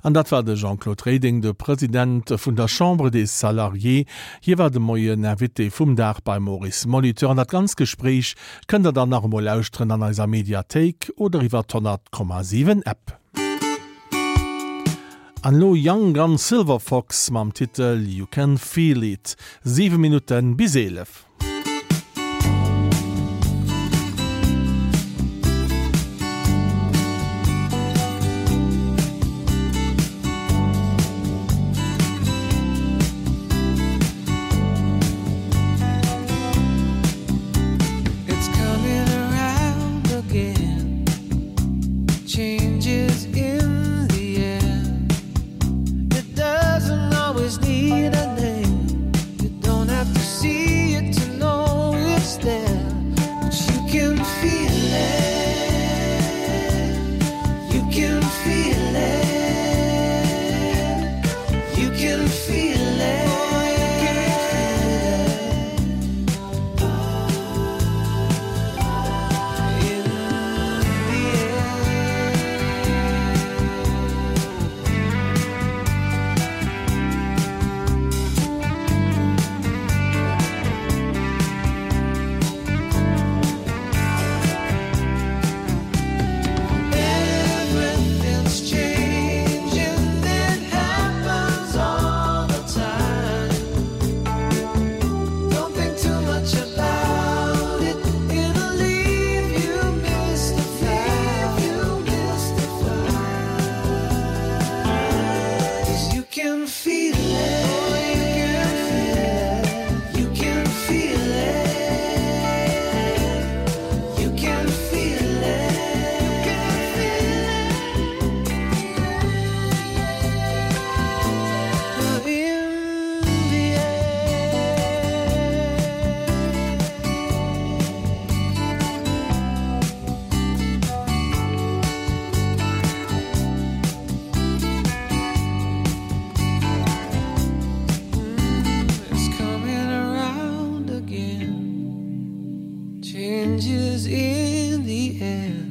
An dat war de Jean-Claude Reding, de President vun der Chambre des Salariés. Hie war de Moien Invité vum Dag beim Maurice Molitor. An dat ganzt Gespréich kënnt der dann nach emol lauschteren an eiser Mediathéik oder iwwer d'100,7 App. An elo Young Gun Silver Fox mam Titel You Can Feel It. 7 Minutten bis 11. It's coming around again. Changes in the air. It doesn't always need a name. You don't have to see it to know it's there. But you can feel it. You can feel it. You can feel it. In the air. Everything's changing, it happens all the time. Don't think too much about it, it'll leave you mystified. You mystified. 'Cause you can feel it. You can feel it. You can feel it. You can feel it. In the It's coming around again. Changes in the air.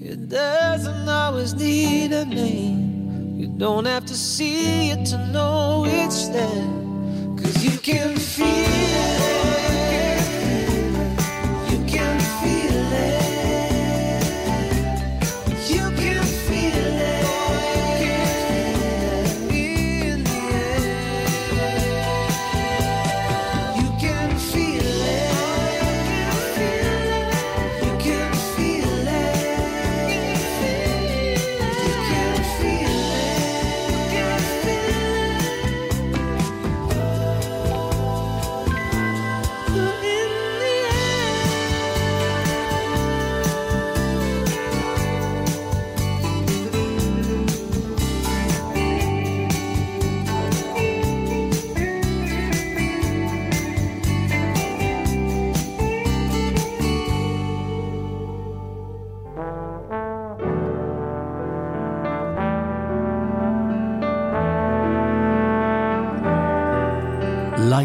It doesn't always need a name. You don't have to see it to know it's there. Cause you can feel it. You can feel it. You can.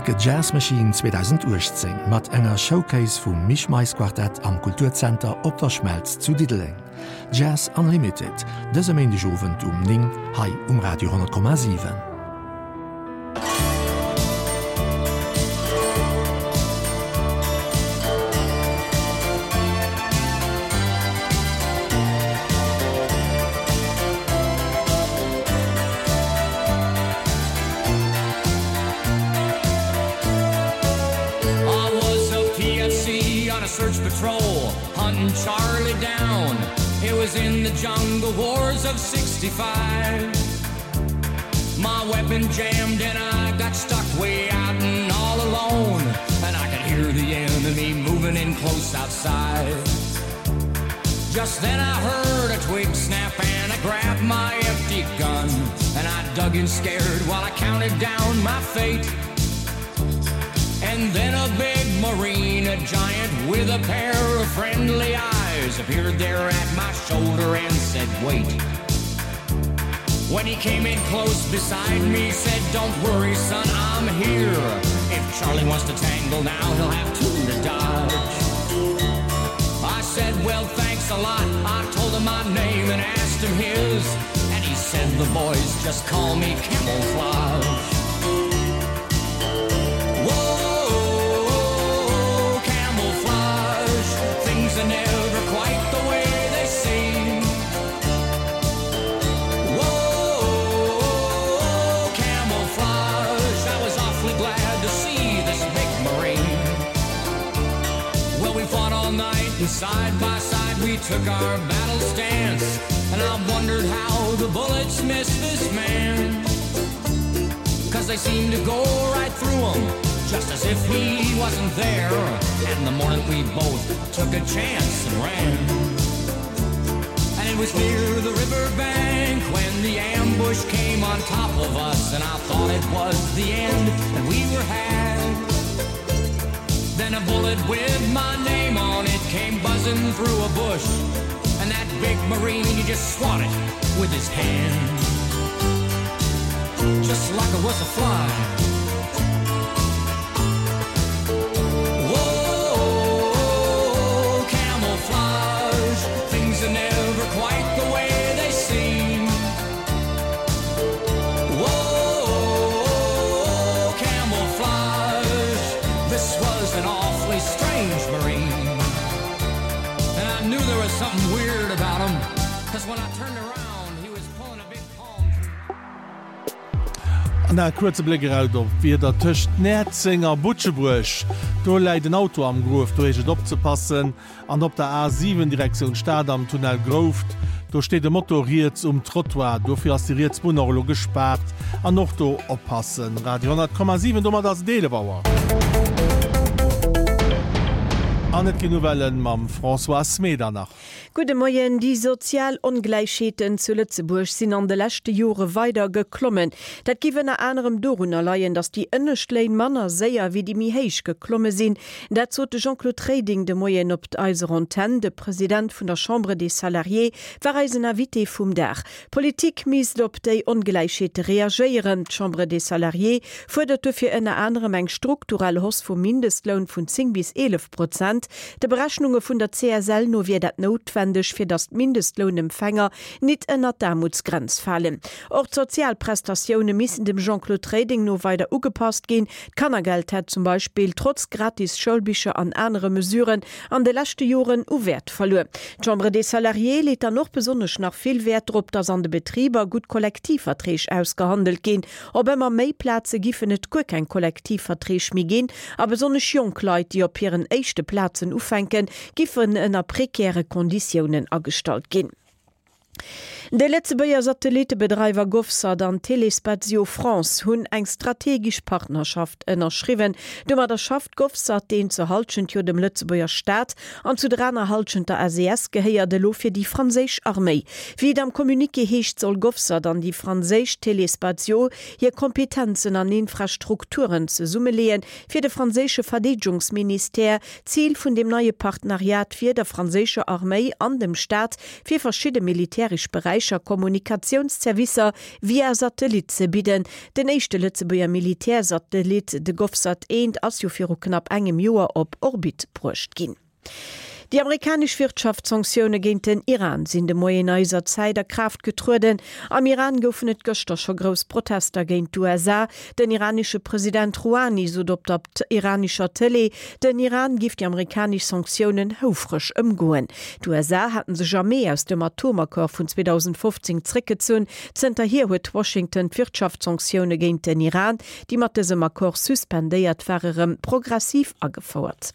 Like a Jazz Machine 2018 mat enger Showcase vum Misch Mais Quartett am Kulturzenter Op der Schmelz zu Diddeleng. Jazz Unlimited, dëse Méindeg Owend um 9 hei um Radio 10,7. I was a PFC on a search patrol hunting Charlie down. It was in the jungle wars of 65. My weapon jammed and I got stuck way out and all alone. And I could hear the enemy moving in close outside. Just then I heard a twig snap and I grabbed my empty gun. And I dug in scared while I counted down my fate. And then a big marine, a giant with a pair of friendly eyes, appeared there at my shoulder and said, Wait. When he came in close beside me, said, Don't worry, son, I'm here. If Charlie wants to tangle now, he'll have two to dodge. I said, Well, thanks a lot. I told him my name and asked him his. And he said, The boys just call me Camouflage. Whoa, camouflage. Things are never quite the way they seem. Whoa, camouflage. I was awfully glad to see this big marine. Well, we fought all night and side by side we took our battle stance. And I wondered how the bullets missed this man. Cause they seemed to go right through him, just as if he wasn't there. And the morning we both took a chance and ran. And it was near the riverbank when the ambush came on top of us, and I thought it was the end, and we were had. Then a bullet with my name on it came buzzing through a bush, and that big marine he just swatted with his hand, just like it was a fly. Whoa, camouflage, things are never quite the way they seem. Whoa, camouflage, this was an awfully strange marine. And I knew there was something weird about him, cause when I turned around, he was pulling a big palm tree. An nach e kuerze Bléck eraus op d'Wieder, Tëscht Näerzeng a Butschebuerg, do läit en Auto am Gruef, do heescht et opzepassen. An op der A 7 Direktioun Stad am Tunnel Grouft, do steet e Moto riets um Trottoir, dofir ass déi riets Bunn och elo gespaart. An och do oppassen. Radio 10,7, domat ass et 11 Auer. An et ginn Nouvellen mam Françoise Medernach. Gudde Moien. Déi sozial Ongläichheeten zu Lëtzebuerg sinn an de leschte Jore weider geklommen. Dat giff ënner anerem dorunner leien, datt déi ënnescht Léin manner séier wéi déi méi héich geklomme sinn. Dat sot de Jean-Claude Reding de Moien op eiser Antenn. De President vun der Chambre des Salariés war eisen Invité vum Dag. D'Politik misst op déi Ongläichheete reagéieren. D'Chambre des Salariés fuerdert dofir ënner anerem eng strukturell Hausse vum Mindestloun vun 10 bis 11 Prozent. De Berechnunge vun der CSL no wier dat noutwendeg, fir datt d'Mindestlounempfänger nit ënnert d'Aarmutsgrenz falen. Och d'Sozialprestatioune missten dem Jean-Claude Reding no weider ugepasst ginn. D'Kannergeld hätt zum Beispill trotz gratis Schoulbicher an anere Mesuren an de leschte Joren u Wäert verluer. D'Chambre des Salariés leet dann och besonnesch nach vill Wäert drop, datt an de Betriber gutt Kollektivverträg ausgehandelt ginn. Op ëmmer méi Plaze giffen et guer keng Kollektivverträg méi ginn a besonnesch jonk Leit, déi op hiren éischte Plazen ufänken, giffen ënner prekäre Konditiounen agestallt ginn. De Lëtzebuerger Satellittebedreiwer GovSat an Telespazio France hunn eng strategesch Partnerschaft ënnerschriwwen. Domadder schafft GovSat, deen zur Hallschent jo dem Lëtzebuerger Staat an zu der aner Hallschent der SES gehéiert, elo fir déi franséisch Arméi. Wéi et am Communiqué heescht, soll GovSat an déi franséisch Telespazio hir Kompetenzen an Infrastrukturen zesummeleeën, fir de franséische Verdeedegungsministère. Zil vun deem neie Partenariat wier, der franséischer Arméi an dem Staat fir verschidde militäresch Beräicher. Beräicher Kommunikatiounszervicer via Satellit ze bidden. Den éischte Lëtzebuerger Militärsatellit, de Govsat 1, ass jo viru knapp engem Joer op Orbit bruecht ginn. Déi amerikanesch Wirtschaftssanktioune géint den Iran sinn de Moien eiser Zäit a Kraaft getrueden. Am Iran goufen et gëschter scho grouss Protester géint d'USA. Den iranesche President Rouhani sot op der iranescher Tëlee, den Iran giff déi amerikanesch Sanktiounen houfreg ëmgoen. D'USA haten sech am Mee aus dem Atomaccord vun 2015 zréckgezunn. Zënterhier huet Washington d'Wirtschaftssanktioune géint den Iran, déi mat dësem Accord suspendéiert ware, rëm progressiv agefouert.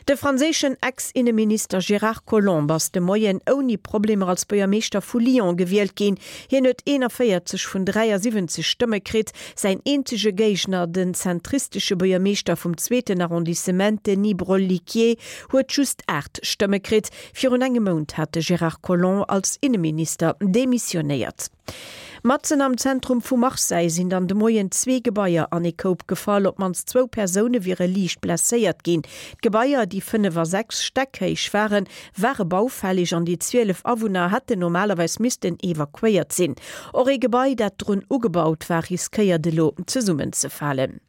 De franséischen Ex-Inneminister Gérard Collomb ass de Moien ouni Problemer als Buergermeeschter vu Lyon gewielt ginn. Hien huet 41 vun 73 Stëmme kritt. Säin eenzege Géigner, den zentristesche Buergermeeschter vum zweeten Arrondissement Denis Broliquier, huet just 8 Stëmme kritt. Virun engem Mount hat de Gérard Collomb als Inneminister demissionéiert. Matzen am Zentrum vu Marseille sinn dann de Moien zwee Gebaier an ee Koup gefall. Op d'mannst zwou Persoune wiere liicht blesséiert ginn. D'Gebaier, déi 5 a 6 Stäck héich waren, ware baufälleg an déi 12 Awunner hätten normalerweis missten evakuéiert sinn. Och ee Gebai, dat drun ugebaut war, riskéiert elo zesummenzefalen.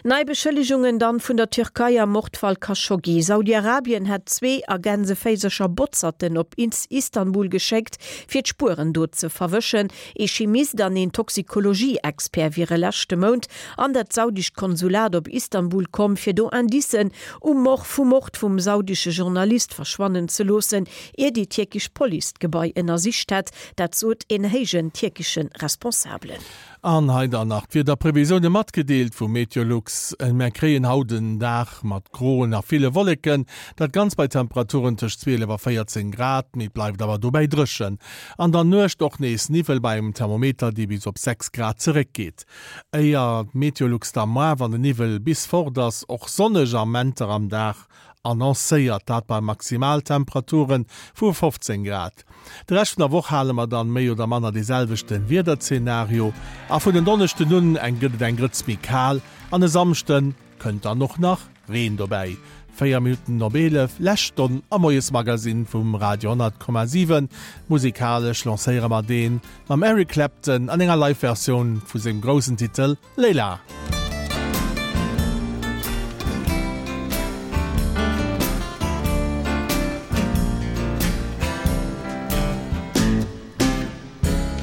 Nei Beschëllegungen dann vun der Türkei am Mordfall Khashoggi. Saudi-Arabien hätt zwee a Gänseféisercher Botzerten op Istanbul geschéckt, fir d'Spueren do ze verwëschen. Ee Chimist an een Toxikologie-Expert wiere leschte Mount an dat saudescht Konsulat op Istanbul komm, fir do Indicen um Mord vum Mord vum saudesche Journalist verschwannen ze loossen, ier déi tierkesch Police d'Gebai ënnersicht hätt. Dat sot een héijen tierkesche Responsabelen. An hei dann nach d'Wiederprevisioune matgedeelt vu Meteolux, Mär kréien haut en Dag mat groen a ville Wolleken, dat Ganzt bei Temperaturen tëscht 12 a 14 Grad, mee et bleift awer dobäi dréchen. An der Nuecht och nees Niwwel bei engem Thermometer, dee bis op 6 Grad zeréckgeet. Éier d'Meteolux da moar, wann de Niwwel bis fort ass, och sonneg Amenter am Dag annoncéiert, dat bei Maximaltemperature vu 15 Grad. De Rescht vun der Woch hale mer dann méi oder manner dee selwechte Wiederzenario a vun en Donneschden un eng gëtt et eng Grëtz méi kal an e Samschde kënnt dann och nach Reen dobäi. 4 Minutten op 11, lescht Stonn am Moiesmagasinn vum Radio 10,7. Musikalesch lancéiere mer deen mam Eric Clapton an enger Live-Versioun vu sengem groussen Titel Layla.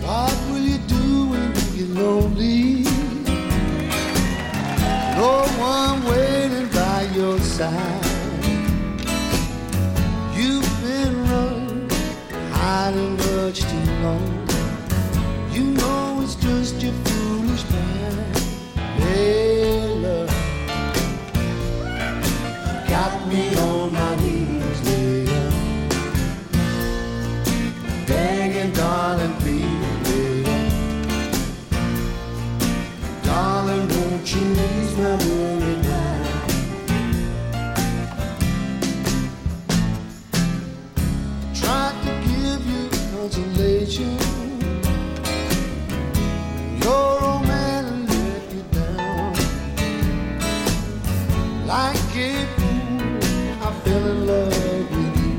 What will you do when you get lonely? No one waiting by your side. You've been running, hiding much too long. You know it's just your foolish mind. Layla, got me on my knees, Layla. Begging, darling, please, Layla. Darling, won't you ease my worried mind? Tried to give you consolation. Your old man let you down. Like a fool, I fell in love with you.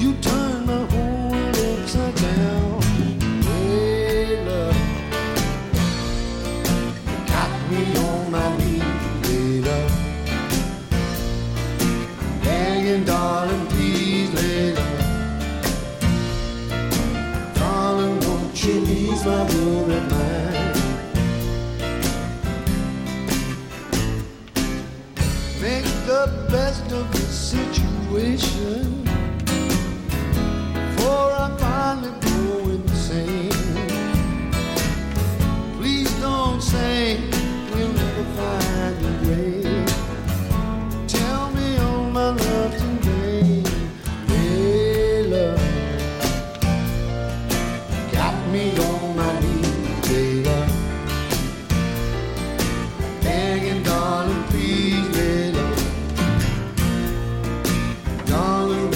You turned my whole world upside down. Hey, love, you got me on my knees, Layla. Begging, darling, please, Layla. Darling, won't you ease my worried mind? Make the best of the situation Before I finally go insane Please don't say we'll never find a grave Tell me all my love today Layla Got me on my knees, Layla Begging, darling, please, Layla Darling, won't.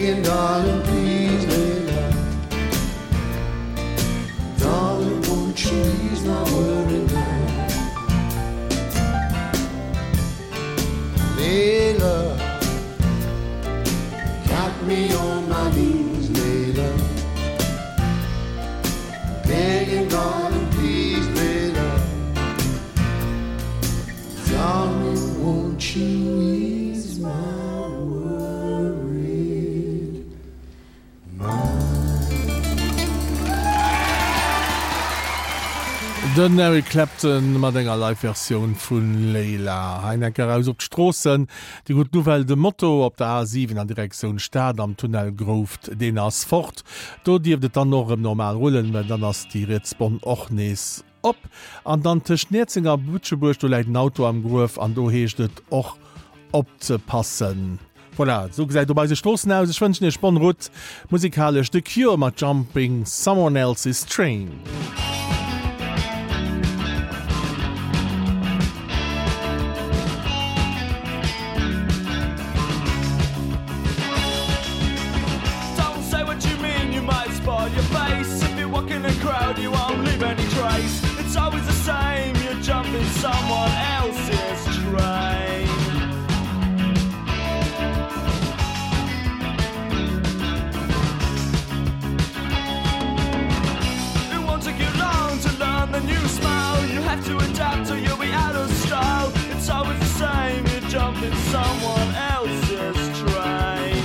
Begging, darling, please, Layla. Darling, won't you ease my worried mind? Layla, got me on my knees, Layla. Begging, darling, please, Layla. Darling, won't you ease my worried mind? Den Eric Clapton mat enger Live-Versioun vu Layla. Hei enk eraus op d'Stroossen. Déi gutt Nouvelle, de Moto op der A7 an Direktioun Stad am Tunnel Grouft, deen ass fort. Do dierft et dann och erëm normal rullen, well dann ass déi riets Bonn och nees Op an dann tëscht Näerzeng a Butschebuerg, do läit en Auto am Gruef an do heescht et och opzepassen. Voilà, esou gesäit op eise Stroossen aus. Ech wënschen iech bonne route. Musikalesch The Cure mat Jumping Someone Else's Train. Someone else's train. It won't take you long to learn the new smile. You have to adapt or you'll be out of style. It's always the same, you're jumping someone else's train.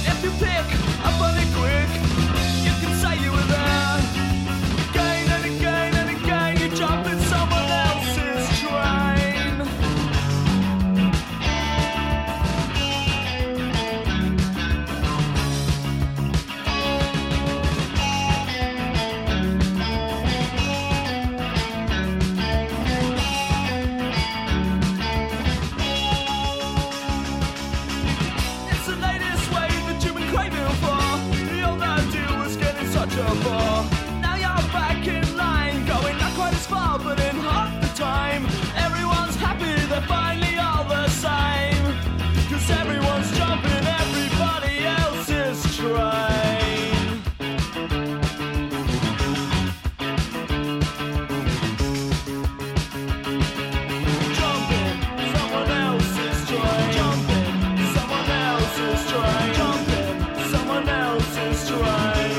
If you pick up on it quick, you can say you were there. Again and again and again, you jump in someone else's train. It's the latest way that you've been craving for. The old idea was getting such a bore. Now you're back in line, going not quite as far, but in half the time. Everyone's happy, they're finally all the same. Cause everyone's jumping everybody else's train. Jumping someone else's train. Jumping someone else's train. Jumping someone else's train.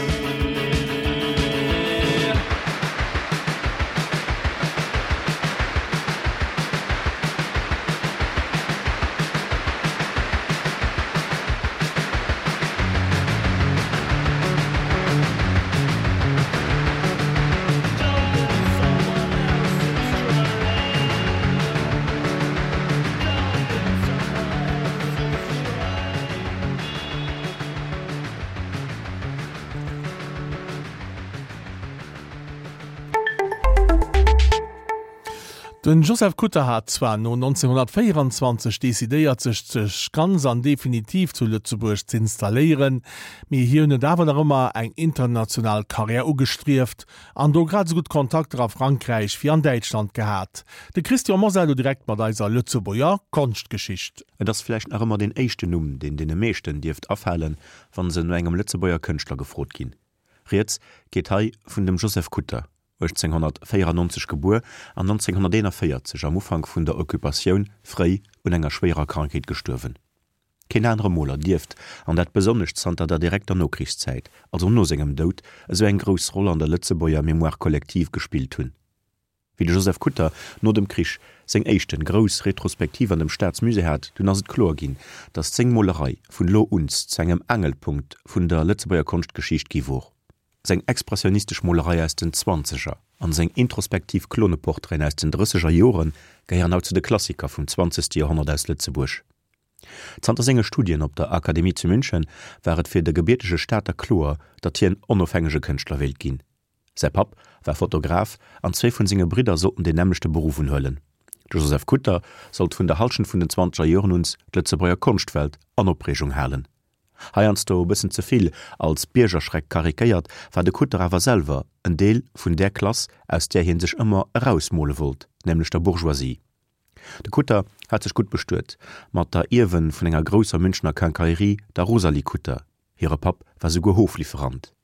Den Joseph Kutter hat zwar no 1924 decidéiert sech sech ganz an definitiv zu Lëtzebuerg z'installéieren, mee hien huet awer nach ëmmer eng international Karriär ugestrieft an do grad esou gutt Kontakter a Frankräich wéi an Däitschland gehat. De Christian Mosar elo direkt mat eiser Lëtzebuerger Konschtgeschicht. Et ass vläicht nach ëmmer deen éischten Numm, deen deene meeschten dierft afalen, wa se no engem Lëtzebuerger Kënschtler gefrot ginn. Rieds geet hei vun dem Joseph Kutter, 1894 gebuer an 1941 am Ufank vun der Occupatioun fréi un enger schwéierer Krankheet gestuerwen. Keen anere Moler dierft, an dat besonnesch zanter der direkter Nokrichszäit, also no sengem Doud, esou eng grouss Roll an der Lëtzebuerger Mémoire collective gespillt hunn, wéi de Joseph Kutter no dem Krich seng éischten grouss Retrospektiv an dem Staatsmusée hat. Dunn ass et kloer ginn, datt seng Molerei vun elo uns zu engem Aangelpunkt vun der Lëtzebuerger Konschtgeschicht gi wor. Seng expressionistesch Molerei aus den Zwanzeger an seng introspektiv Kloneportraiten aus den Drësseger Jore gehéieren haut zu de Klassiker vum zwanzegste Joerhonnert aus Lëtzebuerg. Zanter senge Studien op der Akademie zu München war et fir de gebiertege Stater kloer, datt hien onofhängege Kënschtler wéilt ginn. Säi Papp war Fotograf an zwee vun senge Bridder sollten deen nämmlechte Beruff unhuelen. De Joseph Kutter sollt vun der Hallschent vun den zwanzeger Joren uns d'Lëtzebuerger Konschtwelt an Opreegung halen. Heiansdo e bëssen ze vill als Biergerschreck karikéiert, war de Kutter awer selwer en Deel vun där Klass, aus där hie sech ëmmer erausmole wollt, nämlech der Bourgeoisie. De Kutter hat sech gutt bestuet mat der Ierwen vun enger grousser Münchener Quincaillerie, der Rosalie Kutter. Hire Papp war souguer Hoflieferant.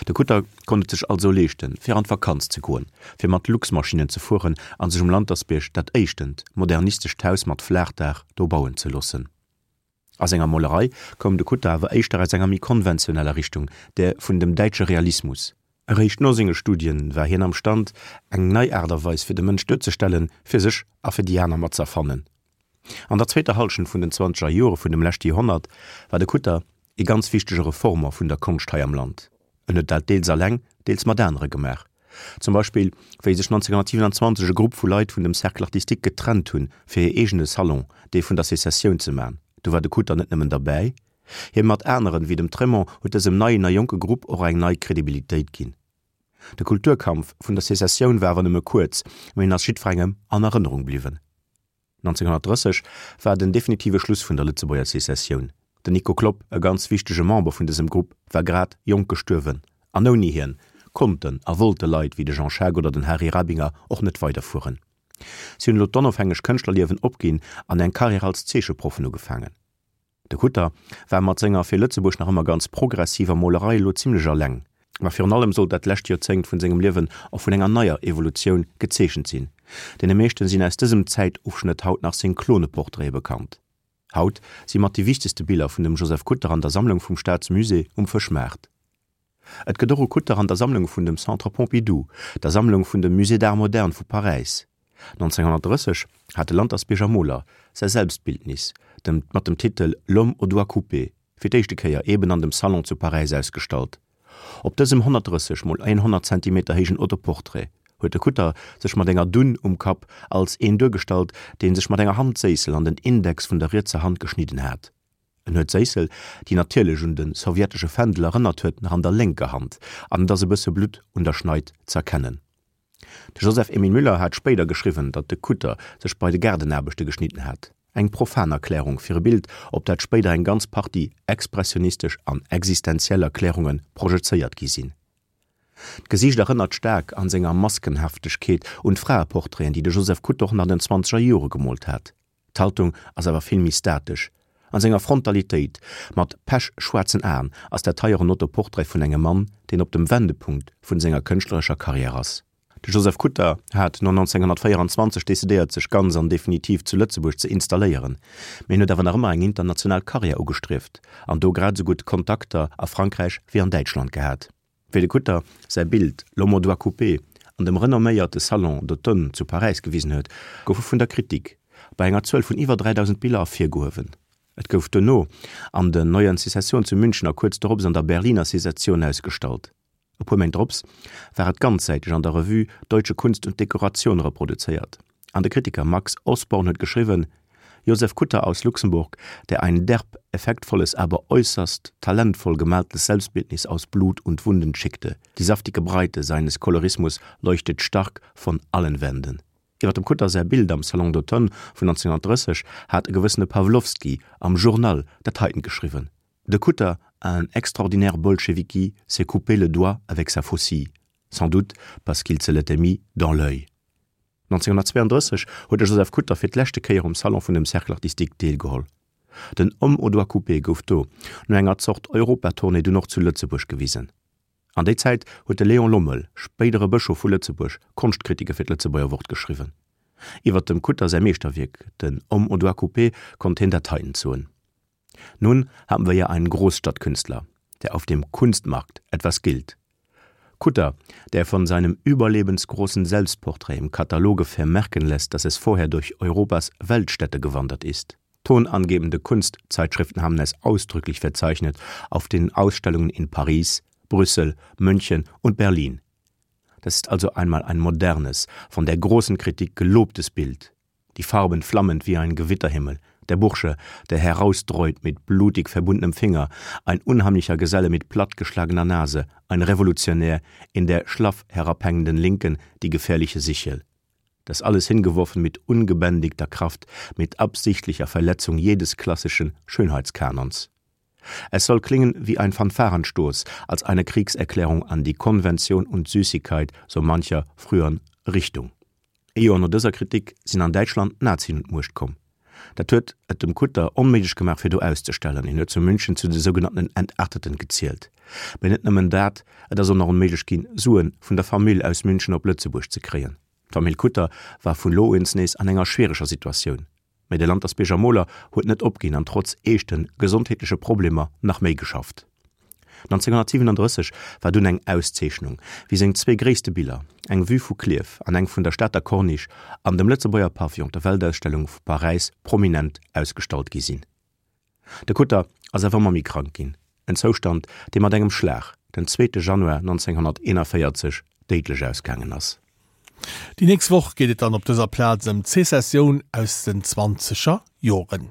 De Kutter konnt et sech also leeschten, fir an d'Vakanz ze goen, fir mat Luxmaschinnen ze fueren a sech um Lantersbierg dat éischtent modernistescht Haus mat Flaachdaach do bauen ze loossen. A senger Molerei koum de Kutter awer éischter aus enger méi konventioneller Richtung, där vun dem däitsche Realismus. Eréischt no senge Studien war hien am Stand, eng nei Aart a Weis fir de Mënsch duerzestellen, fir sech a fir déi aner mat z'erfannen. An der zweeter Hallschent vun den zwanzeger Jore vun dem leschte Joerhonnert war de Kutter ee ganz wichtege Reformer vun der Konscht hei am Land. En huet dat deels alleng, deels mat anere gemaach. Zum Beispill wéi sech 1927 e Grupp vu Leit vun dem Cercle artistique getrennt hunn, fir hir eegene Salon, dee vun der Secessioun, ze man. Do war de Kutter net nëmmen derbäi, hie mat aneren, wéi dem Trémont, huet dësem neien a jonke Grupp och eng nei Kredibilitéit ginn. De Kulturkampf vun der Secessioun war awer nëmme kuerz, mee en ass jiddwerengem an Erënnerung bliwwen. 1930 war den definitive Schluss vun der Lëtzebuerger Secessioun. Den Nico Klopp, e ganz wichtege Member vun dësem Grupp, war grad jonk gestuerwen an ouni hien konnten a wollte Leit wéi de Jean Schaack oder den Harry Rabinger och net weiderfueren. Si hunn elo d'onofhängeg Kënschtlerliewen opginn an eng Karriär als Zeecheproffen ugefaangen. De Kutter war mat senger fir Lëtzebuerg nach ëmmer ganz progressiver Molerei elo zimlech alleng. Ma virun allem sollt dat lescht Joerzéngt vun sengem Liewen och vun enger neier Evolutioun gezeechent sinn. Deene meeschten sinn aus dësem Zäitofschnëtt haut nach seng Kloneportraite bekannt. Haut si mat déi wichtegste Biller vun dem Joseph Kutter an der Sammlung vum Staatsmusée um Fëschmaart. Et gëtt och e Kutter an der Sammlung vun dem Centre Pompidou, der Sammlung vun dem Musée d'Art moderne vu Paräis. 1930 hat de Lantersbierger Moler säi Selbstbildnis, dem mat dem Titel L'homme au doigt coupé, fir d'éischte Kéier eben an dem Salon zu Paräis ausgestallt. Op dësem 130 mol 100 Zentimeter héijen Autoportrait huet de Kutter sech mat enger Dunn um Kapp als een duergestallt, dee sech mat enger Handséissel an den Index vun der rietser Hand geschnidden hat. En huet d'Séissel, déi natierlech un de sowjetesche Fändel erënnert huet, nach an der lénker Hand an et ass e bësse Blutt un der Schneid z'erkennen. De Joseph Emile Müller hat spéider geschriwwen, datt de Kutter sech bei de Gaardenaarbechte geschnidden hat. Eng profan Erklärung fir e Bild, op dat spéider eng ganz Partie expressionistesch an existenziell Erklärunge projezéiert gi sinn. D'Gesiicht erënnert staark an senger Maskenhaftegkeet un d'Fraeportraiten, déi de Joseph Kutter och nach an den zwanzeger Jore gemoolt hat. D'Haltung ass awer vill méi statesch. An senger Frontalitéit, mat pechschwaarzen Aen, ass dat hei och en Autoportrait vun engem Mann, deen op dem Wendepunkt vun senger kënschtlerescher Karriär ass. De Joseph Kutter hat no 1924 decidéiert sech ganz an definitiv zu Lëtzebuerg ze installéieren, mee en huet awer nach ëmmer eng international Karriär ugestrieft an do grad esou gutt Kontakter a Frankräich wéi an Däitschland gehat. Wéi de Kutter säi Bild L'homme au doigt coupé an dem renomméierte Salon d'automne zu Paräis gewisen huet, gouf e vun der Kritik bei enger Zuel vun iwwer 3.000 Biller ervirgehuewen. Et gouf duerno an den Neuen Secession zu München a kuerz dorops an der Berliner Secession ausgestallt. E puer Méint drops war et ganzsäiteg an der Revue Deutsche Kunst und Dekoration reproduzéiert an de Kritiker Max Osborn huet geschriwwen, Josef Kutter aus Luxemburg, der ein derb, effektvolles, aber äußerst talentvoll gemaltes Selbstbildnis aus Blut und Wunden schickte. Die saftige Breite seines Kolorismus leuchtet stark von allen Wänden. Iwwer dem Kutter säi Bild am Salon d'automne vun 1930 hat e gewëssene Pawlowski am Journal dat heiten geschriwwen, De Kutter, un extraordinaire bolcheviki, s'est coupé le doigt avec sa faucille, sans doute parce qu'il se l'était mis dans l'œil. 1932 huet de Joseph Kutter fir d'leschte Kéier um Salon vun dem Cercle artistique deelgeholl. Den Homme au doigt coupé gouf do, no enger Zort Europatournée, dunn och zu Lëtzebuerg gewisen. An déi Zäit huet de Léon Lommel, spéidere Bëschof vu Lëtzebuerg, Konschtkritike fir d'Lëtzebuerger Wort geschriwwen. Iwwer dem Kutter säi Meeschterwierk, den Homme au doigt coupé, konnt hien dat heiten soen. Nun haben wir ja einen Großstadtkünstler, der auf dem Kunstmarkt etwas gilt. Kutter, der von seinem überlebensgroßen Selbstporträt im Kataloge vermerken lässt, dass es vorher durch Europas Weltstädte gewandert ist. Tonangebende Kunstzeitschriften haben es ausdrücklich verzeichnet auf den Ausstellungen in Paris, Brüssel, München und Berlin. Das ist also einmal ein modernes, von der großen Kritik gelobtes Bild die Farben flammend wie ein Gewitterhimmel, der Bursche, der herausdreut mit blutig verbundenem Finger, ein unheimlicher Geselle mit plattgeschlagener Nase, ein Revolutionär, in der schlaff herabhängenden Linken die gefährliche Sichel. Das alles hingeworfen mit ungebändigter Kraft, mit absichtlicher Verletzung jedes klassischen Schönheitskanons. Es soll klingen wie ein Fanfarenstoß, als eine Kriegserklärung an die Konvention und Süßigkeit so mancher früheren Richtung. Ee Joer no dëser Kritik sinn an Däitschland d'Nazien un d'Muecht komm. Dat huet et dem Kutter onméiglech gemaach fir do auszestellen. Hien huet zu München zu de sougenannten Entarteten gezielt. Mee net nëmmen dat, et ass och nach onméiglech ginn, Suen vun der Famill aus München op Lëtzebuerg ze kréien. D'Famill Kutter war vun lo uns nees an enger schwiereger Situatioun. Mee de Lantersbierger Moler huet net opginn an trotz eeschte gesondheetleche Problemer nach méi geschafft. 1937 war dunn eng Auszeechnung, wéi seng zwee gréisste Biller, eng Vue vu Klierf an eng vun der Stater Corniche, an dem Lëtzebuerger Pavillon op der Weltausstellung vu Paräis prominent ausgestallt gi sinn. De Kutter ass awer ëmmer méi krank ginn, en Zoustand, dee mat engem Schlag den zweete Januar 1941 déidlech ausgaangen ass. Déi nächst Woch geet et dann op dëser Plaz ëm d'Sezessioun aus den zwanzeger Joren.